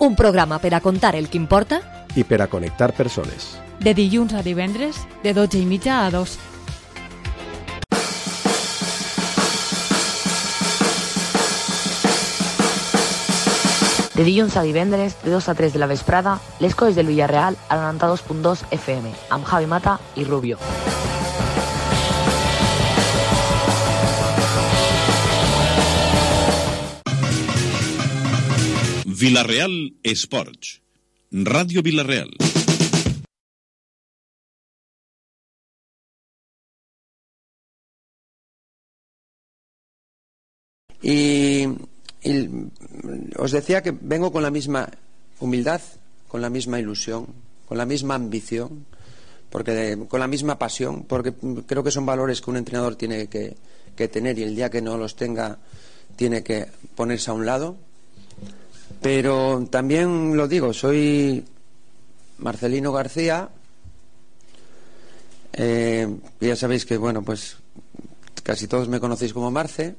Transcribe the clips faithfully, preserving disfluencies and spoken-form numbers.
Un programa per a contar el que importa i per a connectar persones. De dilluns a divendres, de dotze i mitja a dos. De dilluns a divendres, de dos a tres de la vesprada, les coses del Villarreal a noranta-dos punt dos F M, amb Javi Mata i Rubio. Villarreal Esports. Ràdio Villarreal. Y, y os decía que vengo con la misma humildad, con la misma ilusión, con la misma ambición, porque con la misma pasión, porque creo que son valores que un entrenador tiene que, que tener, y el día que no los tenga tiene que ponerse a un lado. Pero también lo digo, soy Marcelino García, eh, ya sabéis que, bueno, pues casi todos me conocéis como Marce,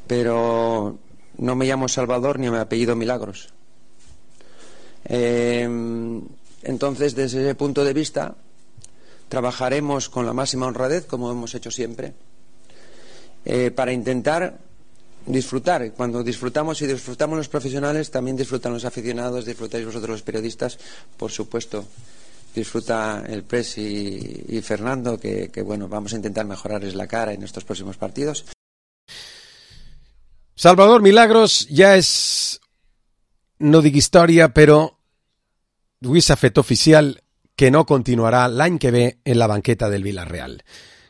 pero no me llamo Salvador ni me apellido Milagros. Eh, entonces, desde ese punto de vista, trabajaremos con la máxima honradez, como hemos hecho siempre, eh, para intentar disfrutar. Cuando disfrutamos y disfrutamos los profesionales, también disfrutan los aficionados, disfrutáis vosotros los periodistas, por supuesto disfruta el Pres y, y Fernando, que, que bueno, vamos a intentar mejorarles la cara en estos próximos partidos. Salvador Milagros ja és, no dic història, però avui s'ha fet oficial que no continuarà l'any que ve en la banqueta del Villarreal.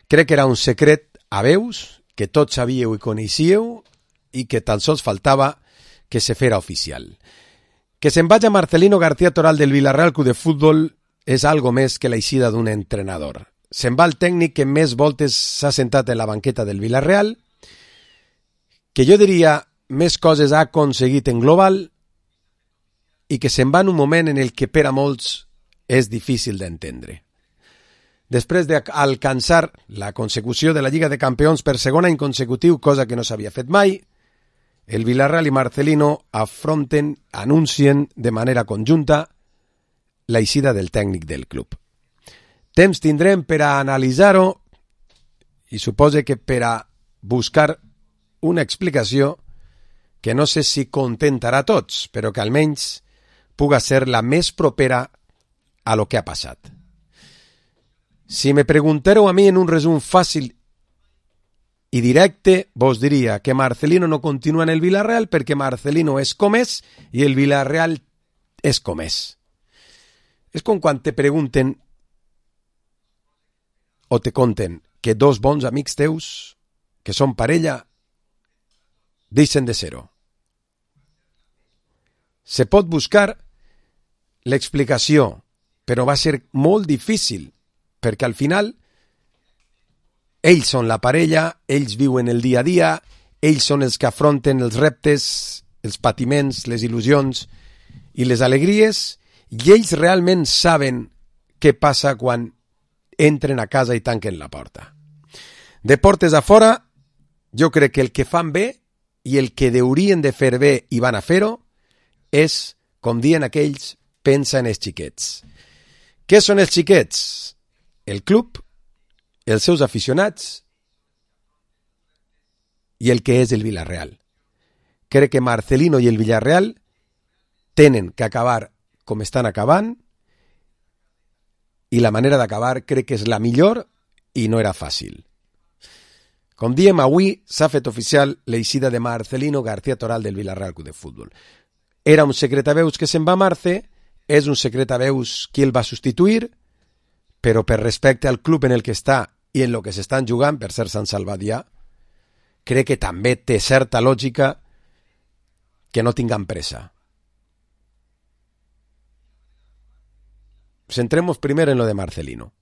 Crec que era un secret a veus, que tots sabíeu i coneixíeu, i que tan sols faltava que se fera oficial. Que se'n vagi Marcelino García Toral del Villarreal Club de Futbol és algo més que l'eixida d'un entrenador. Se'n va el tècnic que més voltes s'ha sentat en la banqueta del Villarreal, que jo diria més coses ha aconseguit en global i que se'n va en un moment en el que per a molts és difícil d'entendre. Després d'alcançar la consecució de la Lliga de Campions per segon any consecutiu, cosa que no s'havia fet mai, el Villarreal i Marcelino afronten, anuncien de manera conjunta l'eixida del tècnic del club. Temps tindrem per a analitzar-ho i supose que per a buscar una explicació que no sé si contentarà a tots, però que almenys puga ser la més propera a lo que ha passat. Si me pregunteu a mi en un resum fàcil i directe, vos diria que Marcelino no continua en el Villarreal perquè Marcelino és com és i el Villarreal és com és. És com quan te pregunten o te conten que dos bons amics teus, que són parella, deixen de ser-ho. Se pot buscar l'explicació, però va ser molt difícil, perquè al final ells són la parella, ells viuen el dia a dia, ells són els que afronten els reptes, els patiments, les il·lusions i les alegries, i ells realment saben què passa quan entren a casa i tanquen la porta. De portes a fora, jo crec que el que fan bé i el que haurien de fer bé i van a fer-ho és, com diuen aquells, pensa en els xiquets. Què són els xiquets? El club, els seus aficionats i el que és el Villarreal. Crec que Marcelino i el Villarreal tenen que acabar com estan acabant i la manera d'acabar crec que és la millor i no era fàcil. Com diem, avui s'ha fet oficial l'eixida de Marcelino García Toral del Villarreal Club de Futbol. Era un secret a veus que se'n va Marce, és un secret a veus qui el va substituir, però per respecte al club en el que està i en el que s'estan jugant, per ser Sant Salvadrià, crec que també té certa lògica que no tinguem pressa. Centremos primero en lo de Marcelino.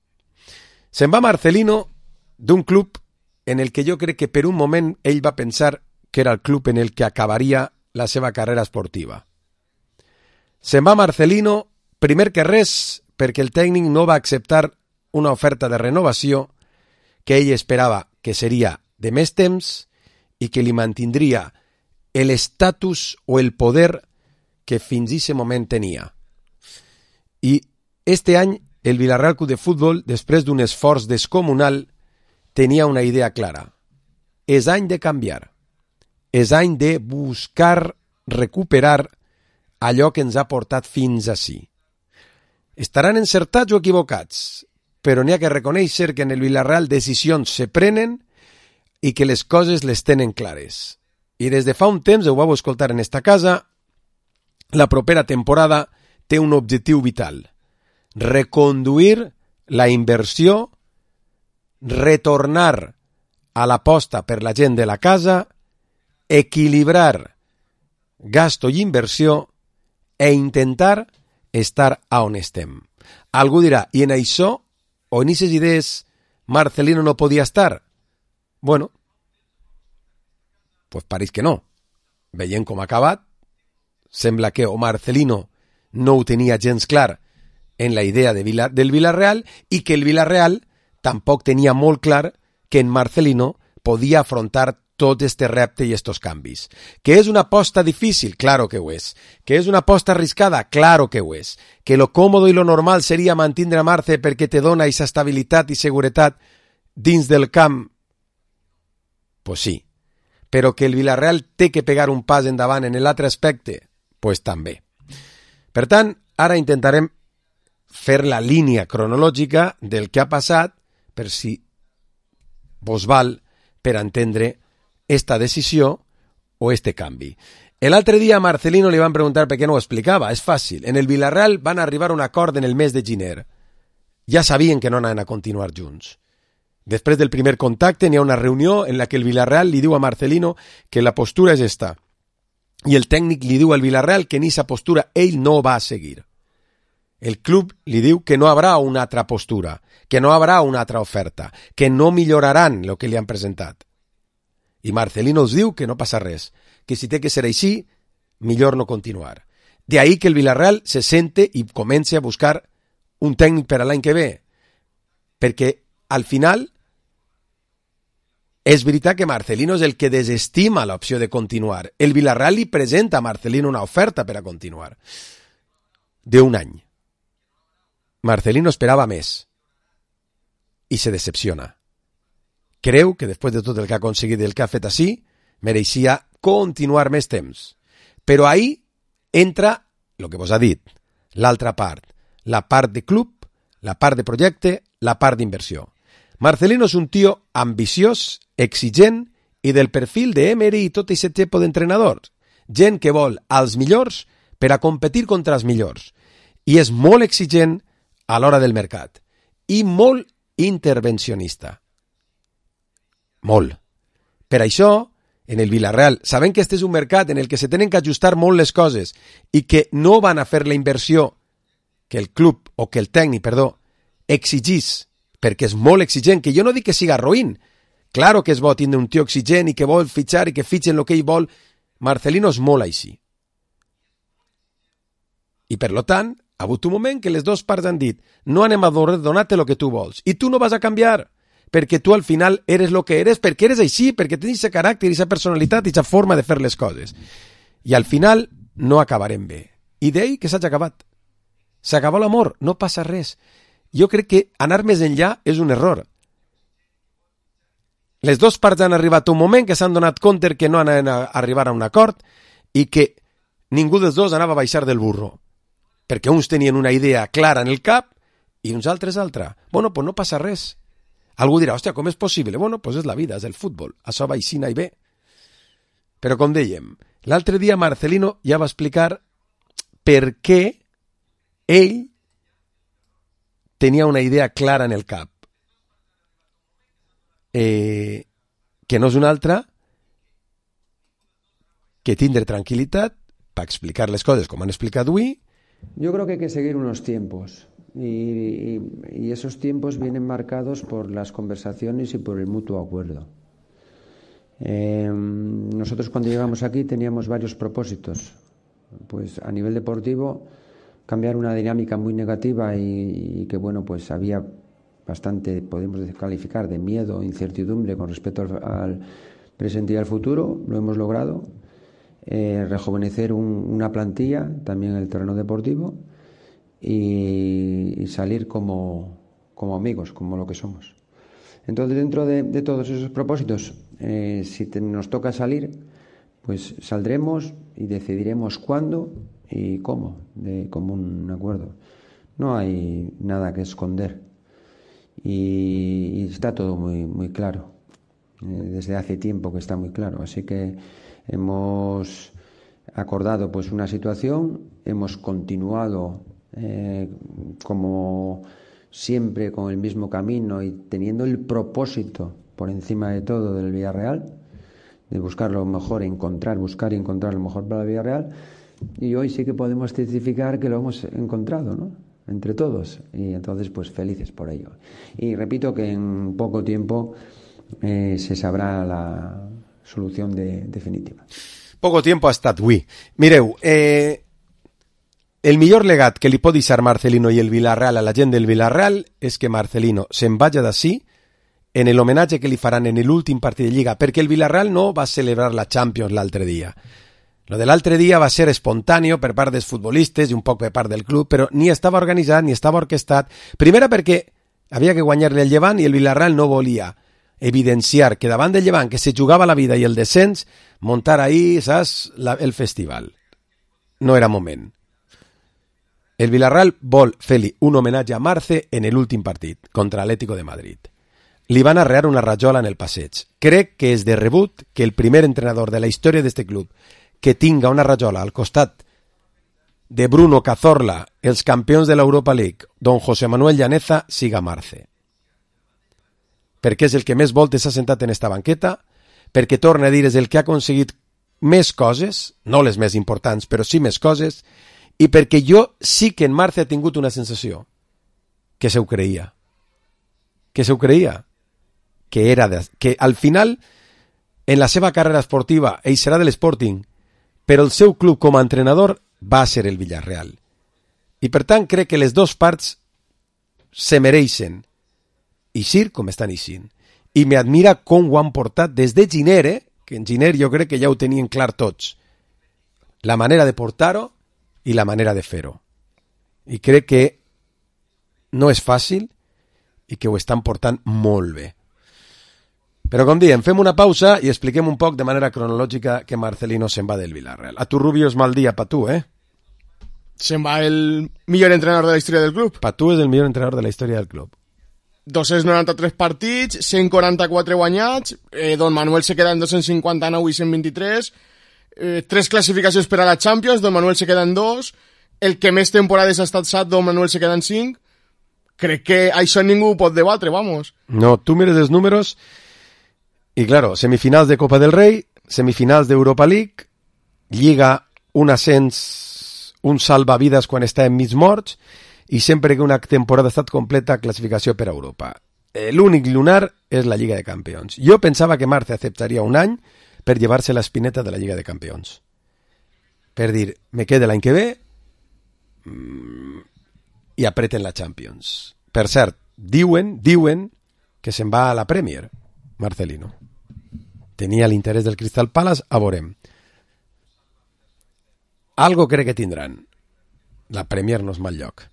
Se'n va Marcelino d'un club en el que jo crec que per un moment ell va pensar que era el club en el que acabaria la seva carrera esportiva. Se'n va Marcelino, primer que res, perquè el tècnic no va acceptar una oferta de renovació que ell esperava que seria de més temps i que li mantindria l'estatus o el poder que fins a aquest moment tenia. I este any el Villarreal Club de Futbol, després d'un esforç descomunal, tenia una idea clara. És any de canviar. És any de buscar recuperar allò que ens ha portat fins ací. Estaran encertats o equivocats, però n'hi ha que reconèixer que en el Villarreal decisions se prenen i que les coses les tenen clares. I des de fa un temps, ho vau escoltar en esta casa, la propera temporada té un objectiu vital: reconduir la inversió, retornar a l'aposta per la gent de la casa, equilibrar gasto i inversió e intentar estar a on estem. Algú dirà, i en això, o en aquestes idees, Marcelino no podia estar? Bueno, pues pareix que no. Veient com ha acabat, sembla que o Marcelino no ho tenia gens clar en la idea de Vila, del Villarreal i que el Villarreal tampoc tenia molt clar que en Marcelino podia afrontar tot este repte i estos canvis. Que és una aposta difícil? Claro que ho és. Que és una aposta arriscada? Claro que ho és. Que lo còmodo i lo normal seria mantindre a Marce perquè te dona aquesta estabilitat i seguretat dins del camp? Pues sí. Però que el Villarreal té que pegar un pas endavant en l'altre aspecte? Pues també. Per tant, ara intentarem fer la línia cronològica del que ha passat per si vos val per entendre esta decisió o este canvi. L'altre dia a Marcelino li van preguntar per què no ho explicava. És fàcil. En el Villarreal van arribar a un acord en el mes de gener. Ja sabien que no anaven a continuar junts. Després del primer contacte n'hi ha una reunió en la que el Villarreal li diu a Marcelino que la postura és esta. I el tècnic li diu al Villarreal que en aquesta postura ell no va a seguir. El club li diu que no haurà una altra postura, que no haurà una altra oferta, que no milloraran el que li han presentat. I Marcelino us diu que no passa res, que si té que ser així, millor no continuar. De ahí que el Villarreal se sente i comence a buscar un tècnic per a l'any que ve, perquè al final és veritat que Marcelino és el que desestima l'opció de continuar. El Villarreal li presenta a Marcelino una oferta per a continuar d'un any. Marcelino esperava més i se decepciona. Creu que després de tot el que ha aconseguit i el que ha fet així, mereixia continuar més temps. Però ahí entra el que vos ha dit, l'altra part, la part de club, la part de projecte, la part d'inversió. Marcelino és un tio ambiciós, exigent i del perfil de Emery i tot aquest tipus d'entrenadors. Gent que vol als millors per a competir contra els millors. I és molt exigent a l'hora del mercat. I molt intervencionista. Molt. Per això, en el Villarreal, sabent que este és un mercat en el que se tenen que ajustar molt les coses i que no van a fer la inversió que el club, o que el tècnic, perdó, exigís, perquè és molt exigent, que jo no dic que siga roïn. Claro que és bo tindre un tio exigent i que vol fitxar i que fitxen el que ell vol. Marcelino és molt així. I per lo tant, ha hagut un moment que les dues parts han dit no anem a donar-te el que tu vols i tu no vas a canviar, perquè tu al final eres el que eres, perquè eres així, perquè tens aquest caràcter, aquesta personalitat i aquesta forma de fer les coses. I al final no acabarem bé. I d'ell que s'hagi acabat. S'acabó l'amor, no passa res. Jo crec que anar més enllà és un error. Les dues parts han arribat a un moment que s'han donat compte que no anaven a arribar a un acord i que ningú dels dos anava a baixar del burro. Perquè uns tenien una idea clara en el cap i uns altres altra. Bueno, pues no passa res. Algú dirà, hòstia, com és possible? Bueno, pues és la vida, és el futbol. Això va així i bé. Però com dèiem, l'altre dia Marcelino ja va explicar per què ell tenia una idea clara en el cap. Eh, que no és una altra que tindre tranquil·litat per explicar les coses com han explicat avui. Yo creo que hay que seguir unos tiempos y, y, y esos tiempos vienen marcados por las conversaciones y por el mutuo acuerdo. Eh, nosotros cuando llegamos aquí teníamos varios propósitos. Pues a nivel deportivo, cambiar una dinámica muy negativa y, y que bueno, pues había bastante, podemos calificar, de miedo, incertidumbre con respecto al, al presente y al futuro, lo hemos logrado. eh, rejuvenecer un, una plantilla, también en el terreno deportivo, y, y salir como, como amigos, como lo que somos. Entonces, dentro de, de todos esos propósitos, eh, si te, nos toca salir, pues saldremos y decidiremos cuándo y cómo, de común acuerdo. No hay nada que esconder y, y está todo muy, muy claro. Eh, desde hace tiempo que está muy claro. Así que hemos acordado pues una situación, hemos continuado eh, como siempre con el mismo camino y teniendo el propósito por encima de todo del Villarreal, de buscar lo mejor, encontrar, buscar y encontrar lo mejor para el Villarreal. Y hoy sí que podemos testificar que lo hemos encontrado, ¿no?, entre todos, y entonces pues felices por ello. Y repito que en poco tiempo eh, se sabrà la solució de, definitiva. Poco tiempo ha estat avui. Mireu, eh, el millor legat que li pot deixar Marcelino i el Villarreal a la gent del Villarreal és que Marcelino se'n vagi d'ací en el homenatge que li faran en l'últim partit de Lliga, perquè el Villarreal no va celebrar la Champions l'altre dia. Lo de l'altre dia va ser espontàneo per part dels futbolistes i un poc per part del club, però ni estava organitzat ni estava orquestat. Primera perquè havia que guanyar-li el Llevant i el Villarreal no volia evidenciar que davant del Llevant, que se jugava la vida i el descens, muntar ahí, saps, la, el festival. No era moment. El Villarreal vol fer-li un homenatge a Marce en l'últim partit, contra l'Atlético de Madrid. Li van arrear una rajola en el passeig. Crec que és de rebut que el primer entrenador de la història d'este club que tinga una rajola al costat de Bruno Cazorla, els campions de l'Europa League, don José Manuel Llaneza, siga Marce. Perquè és el que més voltes s'ha sentat en esta banqueta, perquè, torna a dir, és el que ha aconseguit més coses, no les més importants, però sí més coses, i perquè jo sí que en Marce ha tingut una sensació, que se ho creia. Que se ho creia. Que era de, que al final, en la seva carrera esportiva, ell serà de l'Sporting, però el seu club com a entrenador va ser el Villarreal. I per tant crec que les dues parts se mereixen eixir com estan eixint. I m'admira com ho han portat des de Giner, eh? Que en Giner jo crec que ja ho tenien clar tots. La manera de portar-ho i la manera de fer-ho. I crec que no és fàcil i que ho estan portant molt bé. Però com diem, fem una pausa i expliquem un poc de manera cronològica que Marcelino se'n va del Villarreal. A tu, Rubio, és mal dia pa tu, eh? Se'n va el millor entrenador de la història del club. Pa tu és el millor entrenador de la història del club. dos-cents noranta-tres partits, cent quaranta-quatre guanyats, eh, Don Manuel se queda en dos-cents cinquanta-nou i cent vint-i-tres, eh, tres classificacions per a la Champions, Don Manuel se queda en dos, el que més temporades ha estat set, Don Manuel se queda en cinc. Crec que això ningú pot debatre, vamos. No, tu mires els números i, claro, semifinals de Copa del Rei, semifinals d'Europa League, Lliga, un ascens, un salvavides quan està en mig morts, i sempre que una temporada ha estat completa, classificació per a Europa. L'únic lunar és la Lliga de Campions. Jo pensava que Marce acceptaria un any per llevar-se l'espineta de la Lliga de Campions. Per dir, me quede l'any que ve i apreten la Champions. Per cert, diuen, diuen que se'n va a la Premier, Marcelino. Tenia l'interès del Crystal Palace, a veurem. Algo crec que tindran. La Premier no és mal lloc.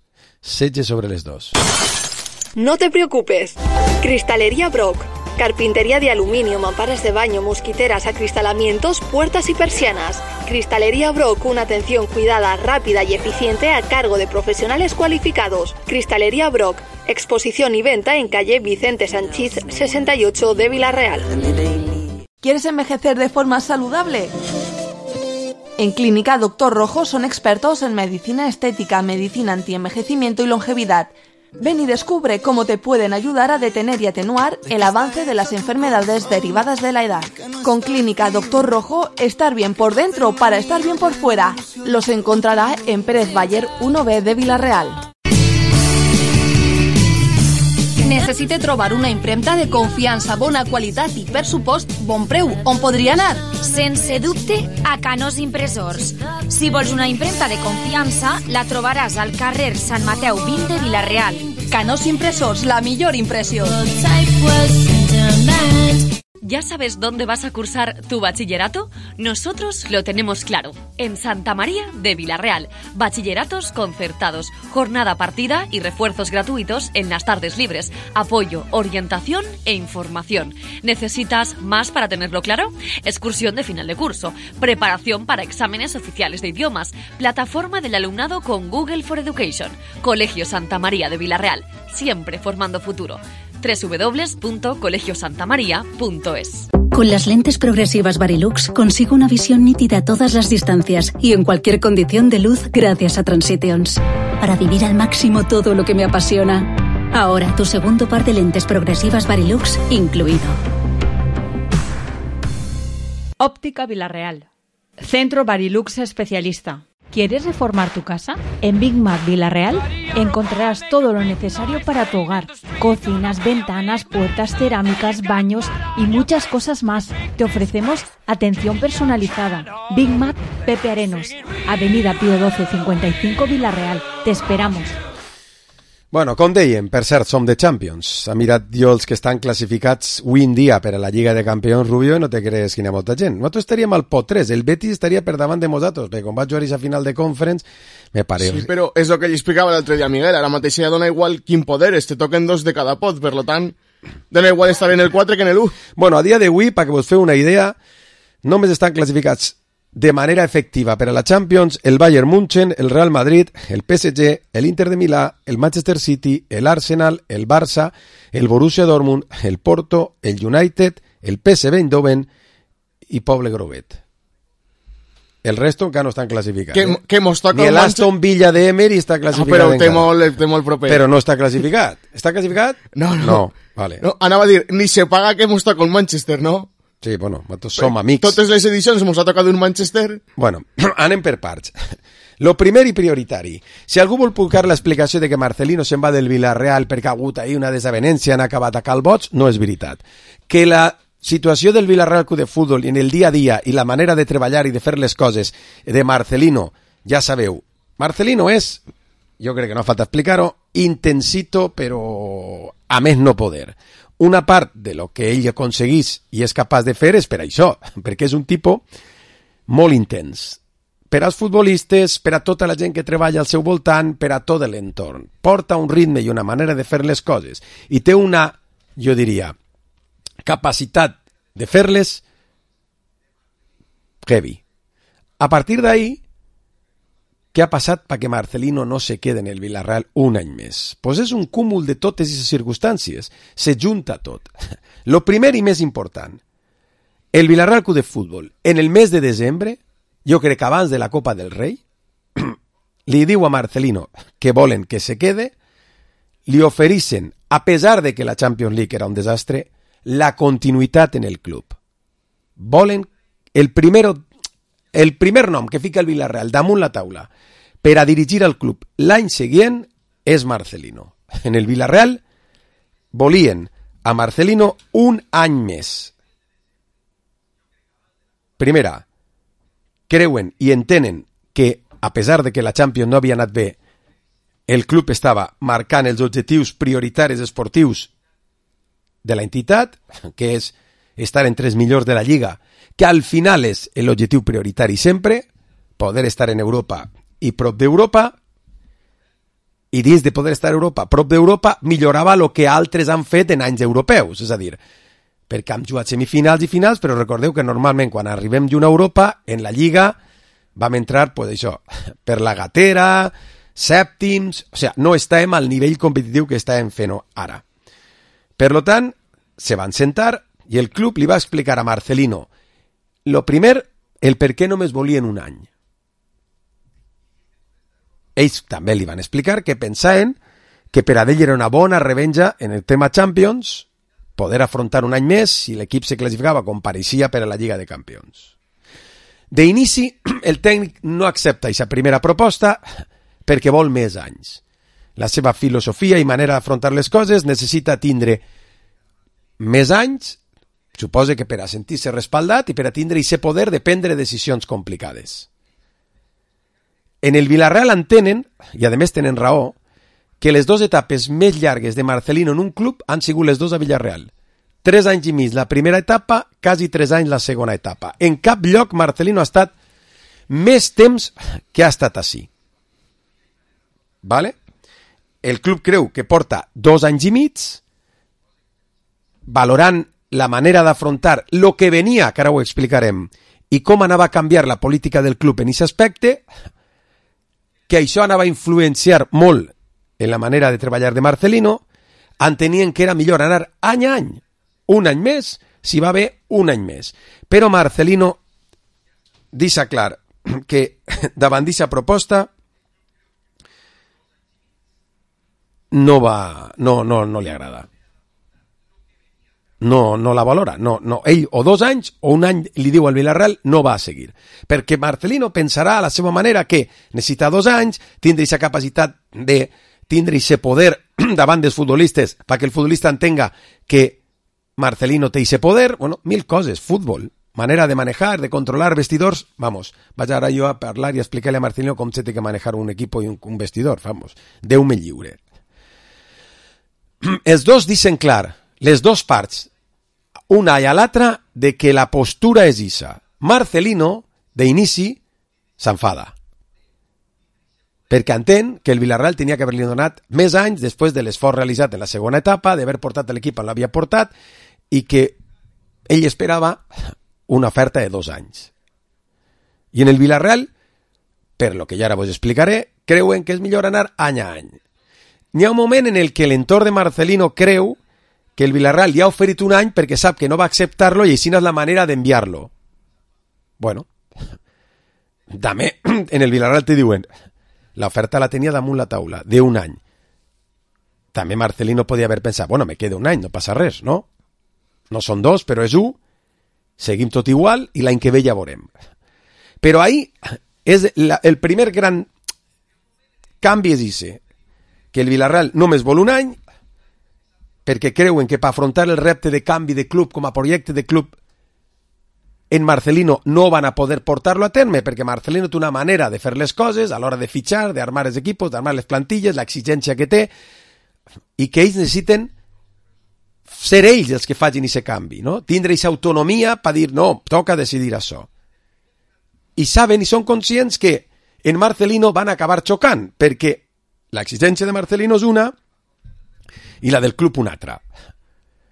Setge sobre les dos. No te preocupes. Cristalería Brock. Carpintería de aluminio, mamparas de baño, mosquiteras, acristalamientos, puertas y persianas. Cristalería Brock, una atención cuidada, rápida y eficiente a cargo de profesionales cualificados. Cristalería Brock, exposición y venta en calle Vicente Sanchís sesenta y ocho de Villarreal. ¿Quieres envejecer de forma saludable? En Clínica Doctor Rojo son expertos en medicina estética, medicina antienvejecimiento y longevidad. Ven y descubre cómo te pueden ayudar a detener y atenuar el avance de las enfermedades derivadas de la edad. Con Clínica Doctor Rojo, estar bien por dentro para estar bien por fuera. Los encontrará en Pérez Bayer uno B de Villarreal. Necessite trobar una impremta de confiança, bona qualitat i, per supost, bon preu. On podria anar? Sense dubte, a Canós Impressors. Si vols una impremta de confiança, la trobaràs al carrer Sant Mateu vint de Villarreal. Canós Impressors, la millor impressió. ¿Ya sabes dónde vas a cursar tu bachillerato? Nosotros lo tenemos claro. En Santa María de Villarreal. Bachilleratos concertados, jornada partida y refuerzos gratuitos en las tardes libres. Apoyo, orientación e información. ¿Necesitas más para tenerlo claro? Excursión de final de curso. Preparación para exámenes oficiales de idiomas. Plataforma del alumnado con Google for Education. Colegio Santa María de Villarreal. Siempre formando futuro. doble u doble u doble u punto colegio santa maría punto es. Con las lentes progresivas Varilux consigo una visión nítida a todas las distancias y en cualquier condición de luz gracias a Transitions. Para vivir al máximo todo lo que me apasiona. Ahora tu segundo par de lentes progresivas Varilux incluido. Óptica Villarreal. Centro Varilux especialista. ¿Quieres reformar tu casa? En Big Mac Villarreal encontrarás todo lo necesario para tu hogar. Cocinas, ventanas, puertas, cerámicas, baños y muchas cosas más. Te ofrecemos atención personalizada. Big Mac Pepe Arenos, Avenida Pío doce cincuenta y cinco Villarreal. Te esperamos. Bueno, com dèiem, per cert, som de Champions. Ha mirat jo els que estan classificats avui en dia per a la Lliga de Campions, Rubio, i no te crees que hi ha molta gent. Nosaltres estaríem al pot tres, el Betis estaria per davant de nosaltres, perquè quan vaig jugar a final de Conference, me pare... Sí, però és el que li explicava l'altre dia a Miguel, ara mateix ja dona igual quin poder és, te toquen dos de cada pot, per tant, dona igual estar en el quatre que en el u. Bueno, a dia d'avui, perquè vos feu una idea, només estan classificats de manera efectiva per a la Champions el Bayern München, el Real Madrid, el P S G, el Inter de Milà, el Manchester City, el Arsenal, el Barça, el Borussia Dortmund, el Porto, el United, el P S V Eindhoven i Poble Grovet. El resto encara no estan classificats. Que, eh? que mos toca Ni el Aston Villa de Emery està classificat ah, però encara. té molt, té molt proper. Però no està classificat. Està classificat? No, no. No, vale. No, anava a dir, ni se paga que mos toca el Manchester, no? Sí, bueno, nosaltres som amics. Totes les edicions mos ha tocat un Manchester. Bueno, anem per parts. Lo primer i prioritari. Si algú vol buscar l'explicació de que Marcelino se'n va del Villarreal perquè ha hagut ahir una desavenència, han acabat a Calbots, no és veritat. Que la situació del Villarreal Club de Futbol i en el dia a dia i la manera de treballar i de fer les coses de Marcelino, ja sabeu, Marcelino és, jo crec que no falta explicar-ho, intensito però a més no poder. Una part de lo que ell aconseguís i és capaç de fer és per això, perquè és un tipus molt intens. Per als futbolistes, per a tota la gent que treballa al seu voltant, per a tot l'entorn. Porta un ritme i una manera de fer les coses i té una, jo diria, capacitat de fer-les heavy. A partir d'ahí, què ha passat perquè Marcelino no se quede en el Villarreal un any més? Pues és un cúmul de totes aquestes circumstàncies. Se junta tot. Lo primer i més important, el Villarreal Club de Futbol, en el mes de desembre, jo crec que abans de la Copa del Rei, li diu a Marcelino que volen que se quede, li ofereixen, a pesar de que la Champions League era un desastre, la continuïtat en el club. Volen el primer, el primer nom que fica el Villarreal damunt la taula per a dirigir el club l'any següent és Marcelino. En el Villarreal volien a Marcelino un any més. Primera, creuen i entenen que, a pesar de que la Champions no havia anat bé, el club estava marcant els objectius prioritaris esportius de la entitat, que és estar entre els millors de la Lliga, que al final és l'objectiu prioritari sempre, poder estar en Europa i prop d'Europa, i dins de poder estar a Europa, prop d'Europa, millorava el que altres han fet en anys europeus, és a dir, perquè hem jugat semifinals i finals, però recordeu que normalment quan arribem d'una Europa, en la Lliga, vam entrar, pues això, per la gatera, sèptims, o sigui, no estàvem al nivell competitiu que estàvem fent ara. Per lo tant, se van sentar i el club li va explicar a Marcelino, lo primer, el per què només volien un any. Ells també li van explicar que pensaven que per a ell era una bona revenja en el tema Champions, poder afrontar un any més si l'equip se classificava com pareixia per a la Lliga de Campions. D'inici, el tècnic no accepta aquesta primera proposta perquè vol més anys. La seva filosofia i manera d'afrontar les coses necessita tindre més anys, suposa que per a sentir-se respaldat i per a tindre aquest poder de prendre decisions complicades. En el Villarreal entenen, i a més tenen raó, que les dues etapes més llargues de Marcelino en un club han sigut les dues a Villarreal. tres anys i mig la primera etapa, quasi tres anys la segona etapa. En cap lloc Marcelino ha estat més temps que ha estat així. Vale? El club creu que porta dos anys i mig, valorant la manera d'afrontar lo que venia, que ara ho explicarem, i com anava a canviar la política del club en aquest aspecte, que això anava a influenciar molt en la manera de treballar de Marcelino, entenien que era millor anar any a any, un any més, si va bé, un any més. Però Marcelino deixa clar que davant d'aquesta proposta no va, no, no, no li agrada. No, no la valora. No, no. Ell o dos anys o un any li diu al Villarreal no va a seguir. Perquè Marcelino pensarà a la seva manera que necessita dos anys, tindre aquesta capacitat de tindre aquest poder davant dels futbolistes perquè el futbolista entenga que Marcelino té aquest poder, bueno, mil coses, futbol, manera de manejar, de controlar vestidors, vamos, vaig ara jo a parlar i a explicar-li a Marcelino com se té que manejar un equip i un, un vestidor, vamos, Déu me lliure. Els dos dicen clar, les dos parts, una i a l'altra, de que la postura és issa. Marcelino, d'inici, s'enfada. Perquè entén que el Villarreal tenia que haver-li donat més anys després de l'esforç realitzat en la segona etapa, d'haver portat l'equip on l'havia portat, i que ell esperava una oferta de dos anys. I en el Villarreal, per lo que ja ara vos explicaré, creuen que és millor anar any a any. N'hi ha un moment en el que l'entorn de Marcelino creu que el Villarreal li ha oferit un any perquè sap que no va acceptar-lo i així no és la manera d'enviar-lo. Bueno, també en el Villarreal te diuen l'oferta la tenia damunt la taula, d'un any. També Marcelino podia haver pensat, bueno, me queda un any, no passa res, no? No són dos, però és un, seguim tot igual i l'any que ve ja veurem. Però ahí és la, el primer gran canvi és ese, que el Villarreal només vol un any perquè creuen que per afrontar el repte de canvi de club com a projecte de club en Marcelino no van a poder portar-lo a terme, perquè Marcelino té una manera de fer les coses a l'hora de fitxar, d'armar els equipos, d'armar les plantilles, l'exigència que té, i que ells necessiten ser ells els que facin aquest canvi, no? Tindre aquesta autonomia per dir, no, toca decidir això. I saben i són conscients que en Marcelino van acabar xocant, perquè l'exigència de Marcelino és una i la del club una altra.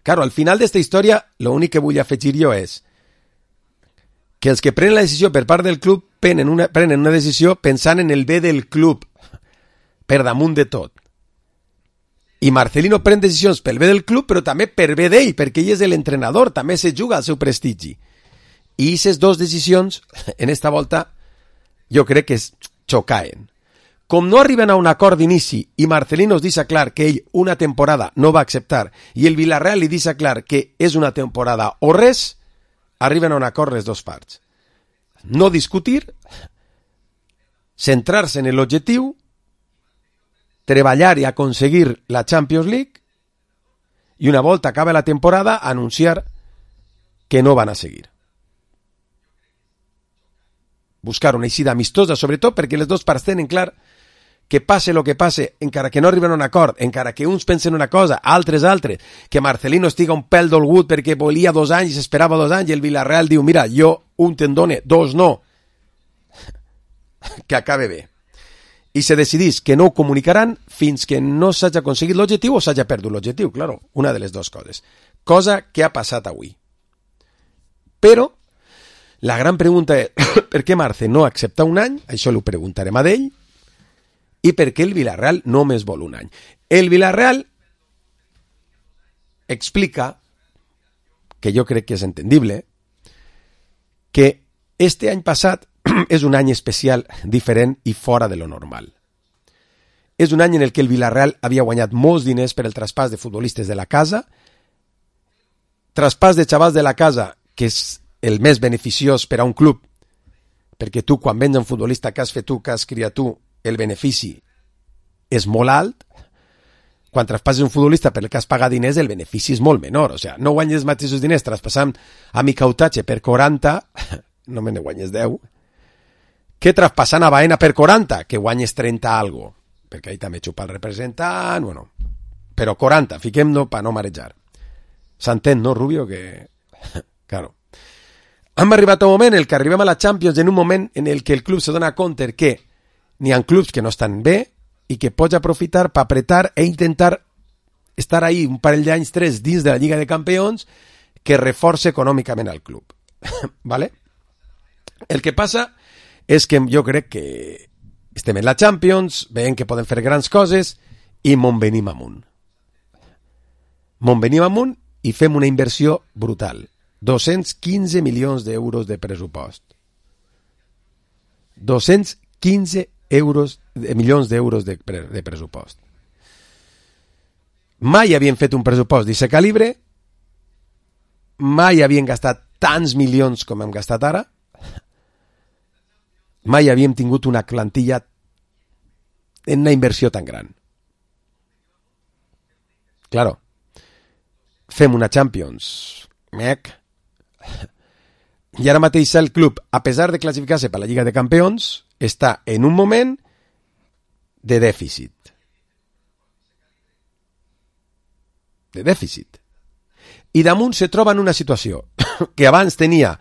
Claro, al final d'esta història, l'únic que vull afegir jo és que els que prenen la decisió per part del club prenen una, prenen una decisió pensant en el bé del club, per damunt de tot. I Marcelino pren decisions pel bé del club, però també per bé d'ell, perquè ell és l'entrenador, també se juga al seu prestigi. I aquestes dues decisions, en esta volta, jo crec que es xocaen. Com no arriben a un acord d'inici i Marcelino es deixa clar que ell una temporada no va acceptar i el Villarreal li deixa clar que és una temporada o res, arriben a un acord les dues parts. No discutir, centrar-se en l'objectiu, treballar i aconseguir la Champions League i una volta acaba la temporada anunciar que no van a seguir. Buscar una eixida amistosa, sobretot perquè les dues parts tenen clar que passe el que passe, encara que no arriben a un acord, encara que uns pensen una cosa, altres altres, que Marcelino estiga un pèl dolgut perquè volia dos anys i s'esperava dos anys i el Villarreal diu, mira, jo un te'n done, dos no. Que acabe bé. I se decidís que no ho comunicaran fins que no s'hagi aconseguit l'objectiu o s'hagi perdut l'objectiu, claro, una de les dues coses. Cosa que ha passat avui. Però la gran pregunta és per què Marce no accepta un any, això l'ho preguntarem a d'ell, i per què el Villarreal només vol un any. El Villarreal explica, que jo crec que és entendible, que este any passat és un any especial, diferent i fora de lo normal. És un any en el que el Villarreal havia guanyat molts diners per el traspàs de futbolistes de la casa, traspàs de xavals de la casa, que és el més beneficiós per a un club, perquè tu, quan vens un futbolista que has fet tu, que has criat tu, el benefici és molt alt. Quan traspasses un futbolista per el que has pagat diners, el benefici és molt menor. O sigui, no guanyes els mateixos diners traspassant a Micautatge per quaranta, no me ne guanyes deu, que traspassant a Baena per quaranta, que guanyes trenta algo, perquè ahí també xupa el representant, bueno, però quaranta, fiquem-no per no marejar. S'entén, no, Rubio? Que... claro. Hem arribat a un moment en el que arribem a la Champions en un moment en el que el club se dona compte que n'hi ha clubs que no estan bé i que pots aprofitar per apretar e intentar estar ahí un parell d'anys, tres, dins de la Lliga de Campions que reforce econòmicament al club. ¿Vale? El que passa és que jo crec que estem en la Champions, veiem que poden fer grans coses i mon venim amunt. Mon venim amunt i fem una inversió brutal. dos-cents quinze milions d'euros de pressupost. dos-cents quinze euros, milions d'euros de, pre, de pressupost. Mai havien fet un pressupost d'aquest calibre, mai havien gastat tants milions com hem gastat ara, mai havíem tingut una plantilla en una inversió tan gran. Claro, fem una Champions, mec, i ara mateix el club, a pesar de classificar-se per la Lliga de Campions, està en un moment de dèficit. De dèficit. I damunt se troba en una situació que abans tenia,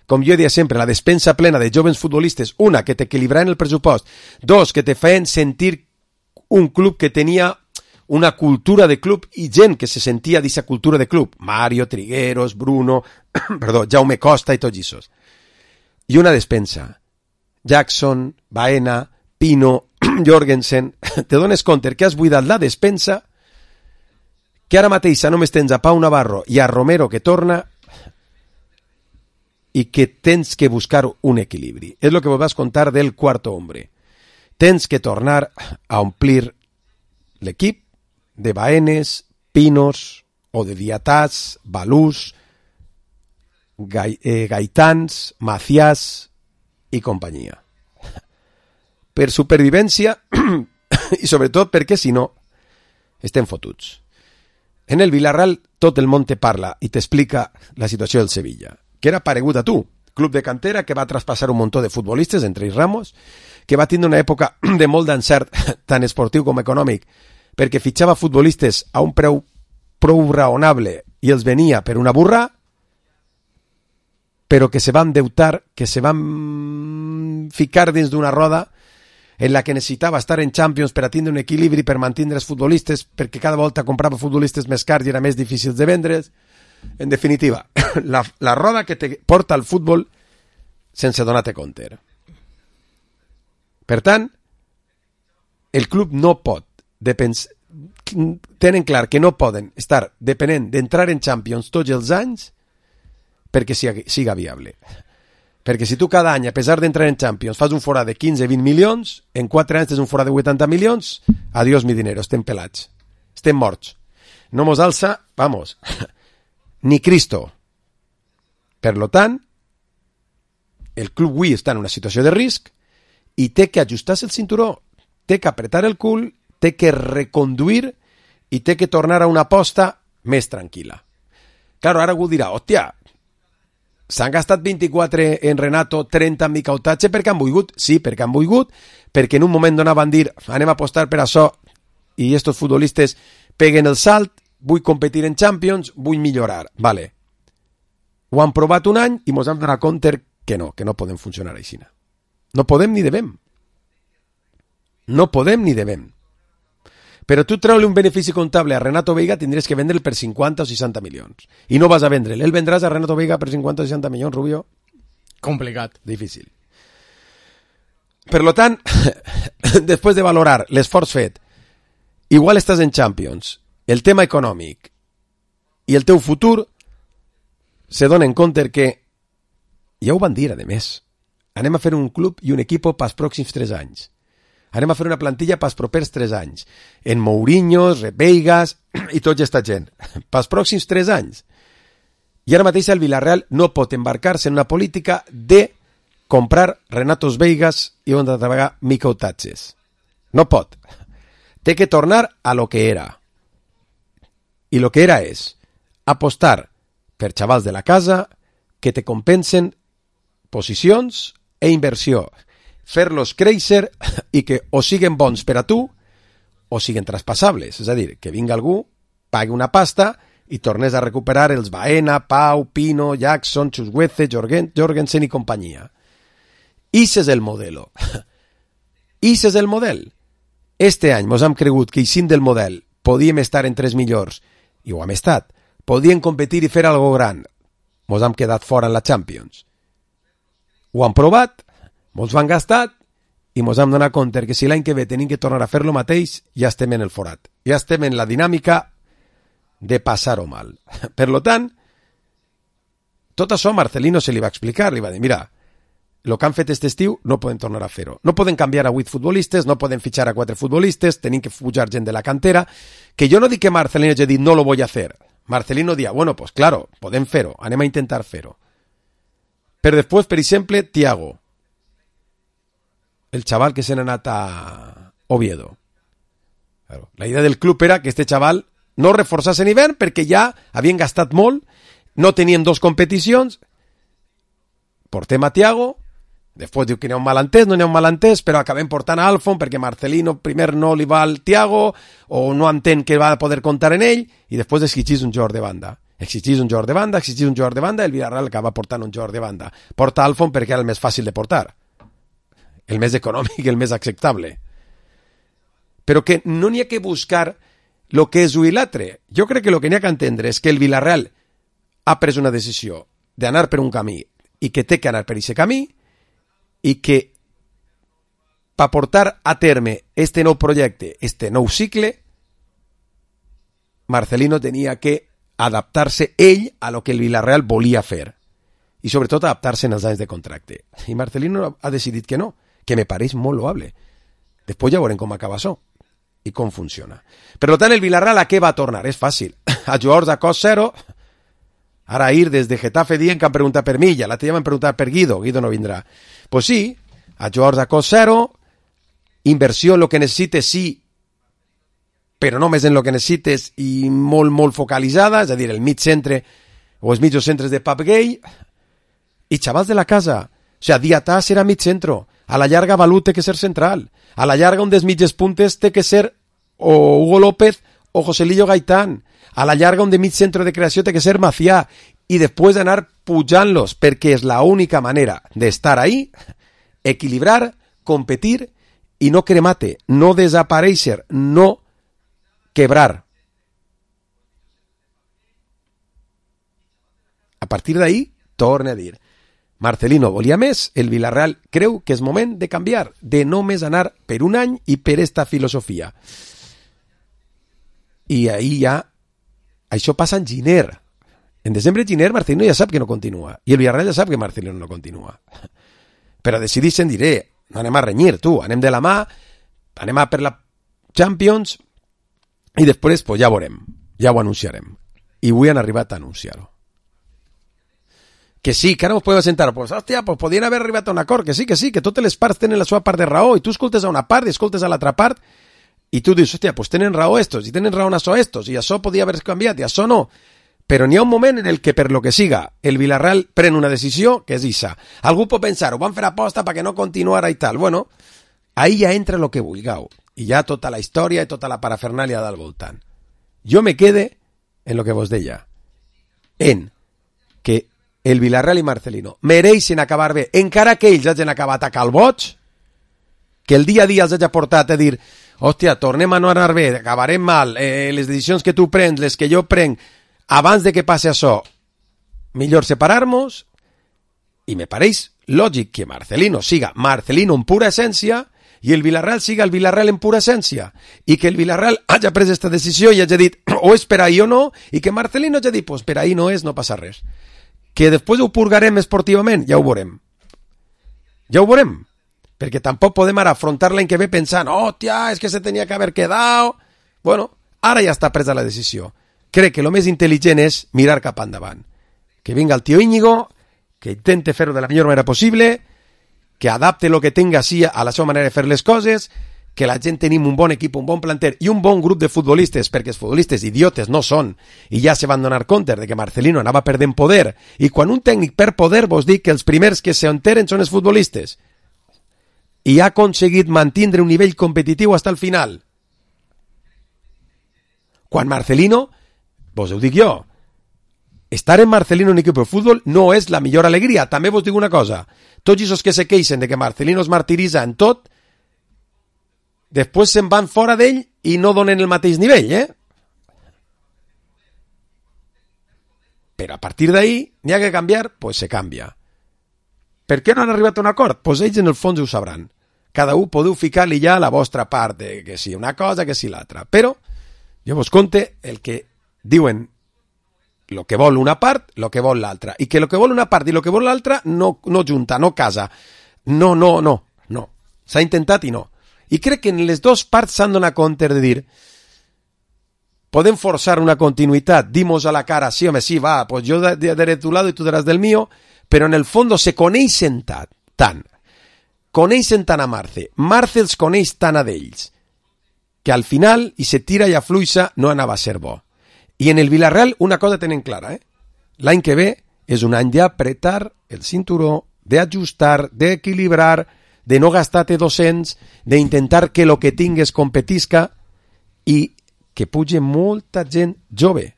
com jo deia sempre, la despensa plena de jovens futbolistes, una, que t'equilibraven el pressupost, dos, que te feien sentir un club que tenia una cultura de club i gent que se sentia d'aquesta cultura de club. Mario, Trigueros, Bruno, perdó, Jaume Costa i tots aquests. I una despensa. Jackson, Baena, Pino, Jorgensen. Te dones compte que has buidat la despensa, que ara mateix només tens a Pau Navarro i a Romero que torna i que tens que buscar un equilibri. És el que vos vas contar del quarto hombre. Tens que tornar a omplir l'equip de Baenes, Pinos o de Diatàs, Balús, Gai, eh, Gaitans, Maciàs i companyia. Per supervivència i sobretot perquè si no estem fotuts. En el Villarreal tot el món te parla i t'explica la situació del Sevilla, que era paregut a tu, club de cantera que va traspassar un muntó de futbolistes, entre ells Ramos, que va tindre una època de molt d'encert, tant esportiu com econòmic, perquè fitxava futbolistes a un preu prou raonable i els venia per una burra, però que se van endeutar, que se van ficar dins d'una roda en la que necessitava estar en Champions per a tindre un equilibri, per mantindre els futbolistes, perquè cada volta comprava futbolistes més cars i era més difícil de vendre's. En definitiva, la, la roda que te porta al futbol sense donar-te compte. Per tant, el club no pot depens... tenen clar que no poden estar depenent d'entrar en Champions tots els anys perquè siga, siga viable. Perquè si tu cada any, a pesar d'entrar en Champions, fas un forat de quinze a vint milions, en quatre anys tens un forat de vuitanta milions, adiós mi dinero, estem pelats. Estem morts. No mos alça, vamos, ni Cristo. Per lo tant, el club avui està en una situació de risc i té que ajustar-se el cinturó, té que apretar el cul, té que reconduir i té que tornar a una aposta més tranquil·la. Claro, ara algú dirà, hòstia, s'han gastat vint-i-quatre en Renato, trenta en Micautatge perquè han volgut? Sí, perquè han volgut, perquè en un moment donat van dir anem a apostar per això i estos futbolistes peguen el salt, vull competir en Champions, vull millorar. Vale. Ho han provat un any i mos hem donat compte que no, que no podem funcionar així. No podem ni devem. No podem ni devem. Però tu treure un benefici comptable a Renato Veiga tindries que vendre'l per cinquanta o seixanta milions. I no vas a vendre'l. El vendràs a Renato Veiga per cinquanta o seixanta milions, Rubio? Complicat. Difícil. Per lo tant, després de valorar l'esforç fet, igual estàs en Champions, el tema econòmic i el teu futur se donen compte que, ja ho van dir, a més, anem a fer un club i un equip pels pròxims tres anys. Anem a fer una plantilla pels propers tres anys. En Mourinhos, Veigas i tota aquesta gent. Pels pròxims tres anys. I ara mateix el Villarreal no pot embarcar-se en una política de comprar Renatos Veigas i on treballar Micautatges. No pot. Té que tornar a lo que era. I lo que era és apostar per xavals de la casa que te compensen posicions e inversió. Fer-los créixer i que o siguen bons per a tu o siguen traspassables. És a dir, que vinga algú, pagui una pasta i tornés a recuperar els Baena, Pau, Pino, Jackson, Chusweze, Jorgen, Jorgensen i companyia. Ix és el modelo. Ix és el model. Este any mos hem cregut que eixint del model podíem estar entre els millors, i ho hem estat. Podíem competir i fer algo gran. Mos hem quedat fora en la Champions. Ho han provat, mos ho han gastat, i mos hem donat compte que si l'any que ve tenim que tornar a fer lo mateix, ja estem en el forat. Ja estem en la dinàmica de passar-ho mal. Per lo tant, tot això a Marcelino se li va explicar, li va dir, mira, el que han fet aquest estiu no poden tornar a fer-ho. No poden canviar a vuit futbolistes, no poden fitxar a quatre futbolistes, tenim que pujar gent de la cantera, que jo no dic que Marcelino hagi dit no lo voy a hacer. Marcelino dia, bueno, pues claro, podem fer-ho, anem a intentar fer-ho. Però després, per exemple, Thiago, el xaval que se n'ha anat a Oviedo. Claro, la idea del club era que este xaval no reforçasse en hivern perquè ja havien gastat molt, no tenien dos competicions, portem a Thiago, després diu que n'hi ha un malentès, no n'hi ha un malentès, però acabem portant a Alfon perquè Marcelino primer no li va al Thiago o no entén que va poder comptar en ell i després exigís un jugador de banda. Exigís un jugador de banda, exigís un jugador de banda, el Villarreal acaba portant un jugador de banda. Porta Alfon perquè era el més fàcil de portar, el més econòmic, el més acceptable. Però que no n'hi ha que buscar el que és un i l'altre. Jo crec que el que n'hi ha que entendre és que el Villarreal ha pres una decisió d'anar per un camí i que té que anar per aquest camí i que per portar a terme este nou projecte, este nou cicle, Marcelino tenia que adaptar-se ell a lo que el Villarreal volia fer i sobretot adaptar-se en els anys de contracte. I Marcelino ha decidit que no, que me pareix molt loable. Després ja veurem com acaba això i com funciona. Per tant, el Villarreal a què va tornar? És fàcil. A jugadors a cost zero. Ara ir des de Getafe dient que han preguntat per mi, ja l'altre dia m'han preguntat per Guido, Guido no vindrà. Pues sí, a jugadors a cost zero, inversió en lo que necessites, sí, però només en lo que necessites i molt, molt focalitzada, és a dir, el mig centre o els mitjos centres de Pap Gay, i xavals de la casa. O sea, Diatà serà mig centro, a la llarga Balú té que ser central, a la llarga un dels mitges puntes té que ser o Hugo López o Joselillo Gaitán, a la llarga un de mig centre de creació té que ser Macià, i després d'anar pujant-los, perquè és la única manera d'estar ahí, equilibrar, competir i no cremate, no desaparèixer, no quebrar. A partir d'ahí, torne a dir, Marcelino volia més, el Villarreal creu que és moment de canviar, de només anar per un any i per esta filosofia. I ahí ja, això passa en Giner. En desembre Giner, Marcelino ja sap que no continua, i el Villarreal ja sap que Marcelino no continua. Però decidixen, diré, no anem a renyir, tu, anem de la mà, anem a per la Champions, i després, pues ja veurem, ja ho anunciarem. I avui han arribat a anunciar-ho. Que sí, que ara us podeu sentar, pues, hòstia, pues podien haver arribat a un acord, que sí, que sí, que totes les parts tenen la seva part de raó, i tu escoltes a una part i escoltes a l'altra part, i tu dius, hòstia, pues tenen raó estos, i tenen raó això estos, i això podia haver canviat, i això no. Però n'hi ha un moment en el que, per lo que siga, el Villarreal pren una decisió que és ixa. Algú pot pensar, ho van fer aposta perquè no continuara i tal. Bueno, ahí ja entra lo que vulgueu, i ja tota la història i tota la parafernàlia del voltant. Jo me quede en lo que vos deia, en que el Villarreal i Marcelino mereixen acabar bé, encara que ells hagin acabat a calboig, que el dia a dia els hagi portat a dir, hòstia, tornem a no anar bé, acabarem mal, eh, les decisions que tu prens, les que jo prenc, abans de que passe això, millor separar-nos, i me pareix lògic que Marcelino siga Marcelino en pura essència i el Villarreal siga el Villarreal en pura essència, i que el Villarreal hagi pres aquesta decisió i hagi dit, o és per ahí o no, i que Marcelino hagi dit, pues per ahí no és, no passa res. Que després ho purgarem esportivament, ja ho veurem. Ja ho veurem. Perquè tampoc podem ara afrontar l'any que ve pensant, oh, tia, és que se tenia que haver quedat. Bueno, ara ja està presa la decisió. Crec que el més intel·ligent és mirar cap endavant. Que vinga el tio Íñigo, que intente fer-ho de la millor manera possible, que adapte el que tenga així a la seva manera de fer les coses, que la gent tenim un bon equip, un bon planter i un bon grup de futbolistes, perquè els futbolistes idiotes no són, i ja se van donar compte de que Marcelino anava perdent poder, i quan un tècnic perd poder vos dic que els primers que s'enteren són els futbolistes, i ha aconseguit mantindre un nivell competitiu fins al final. Quan Marcelino vos ho dic jo, estar en Marcelino en equip de futbol no és la millor alegria. També vos dic una cosa, tots els que se queixen de que Marcelino es martiritza en tot, després se'n van fora d'ell i no donen el mateix nivell, eh? Però a partir d'ahí n'hi ha que canviar, pues se canvia. Per què no han arribat a un acord? Pues ells en el fons ho sabran. Cada un podeu ficar-li ja la vostra part, de que si una cosa, que si l'altra. Però jo vos conte el que diuen lo que vol una part, lo que vol l'altra. I que lo que vol una part i lo que vol l'altra no, no junta, no casa. No, no, no, no. S'ha intentat i no. I crec que en les dues parts s'han donat compte de dir podem forçar una continuïtat, dimos a la cara, sí, home, sí, va, pues yo daré de tu lado y tú darás del mío, però en el fondo se coneixen tant, tant, coneixen tant a Marce, Marce els coneix tant a d'ells, que al final, i se tira i afluixa, no anava a ser bo. I en el Villarreal una cosa tenen clara, eh? L'any que ve és un any d'apretar el cinturó, d'ajustar, d'equilibrar, de no gastar-te dos-cents, d'intentar que lo que tingues competisca i que puge molta gent jove.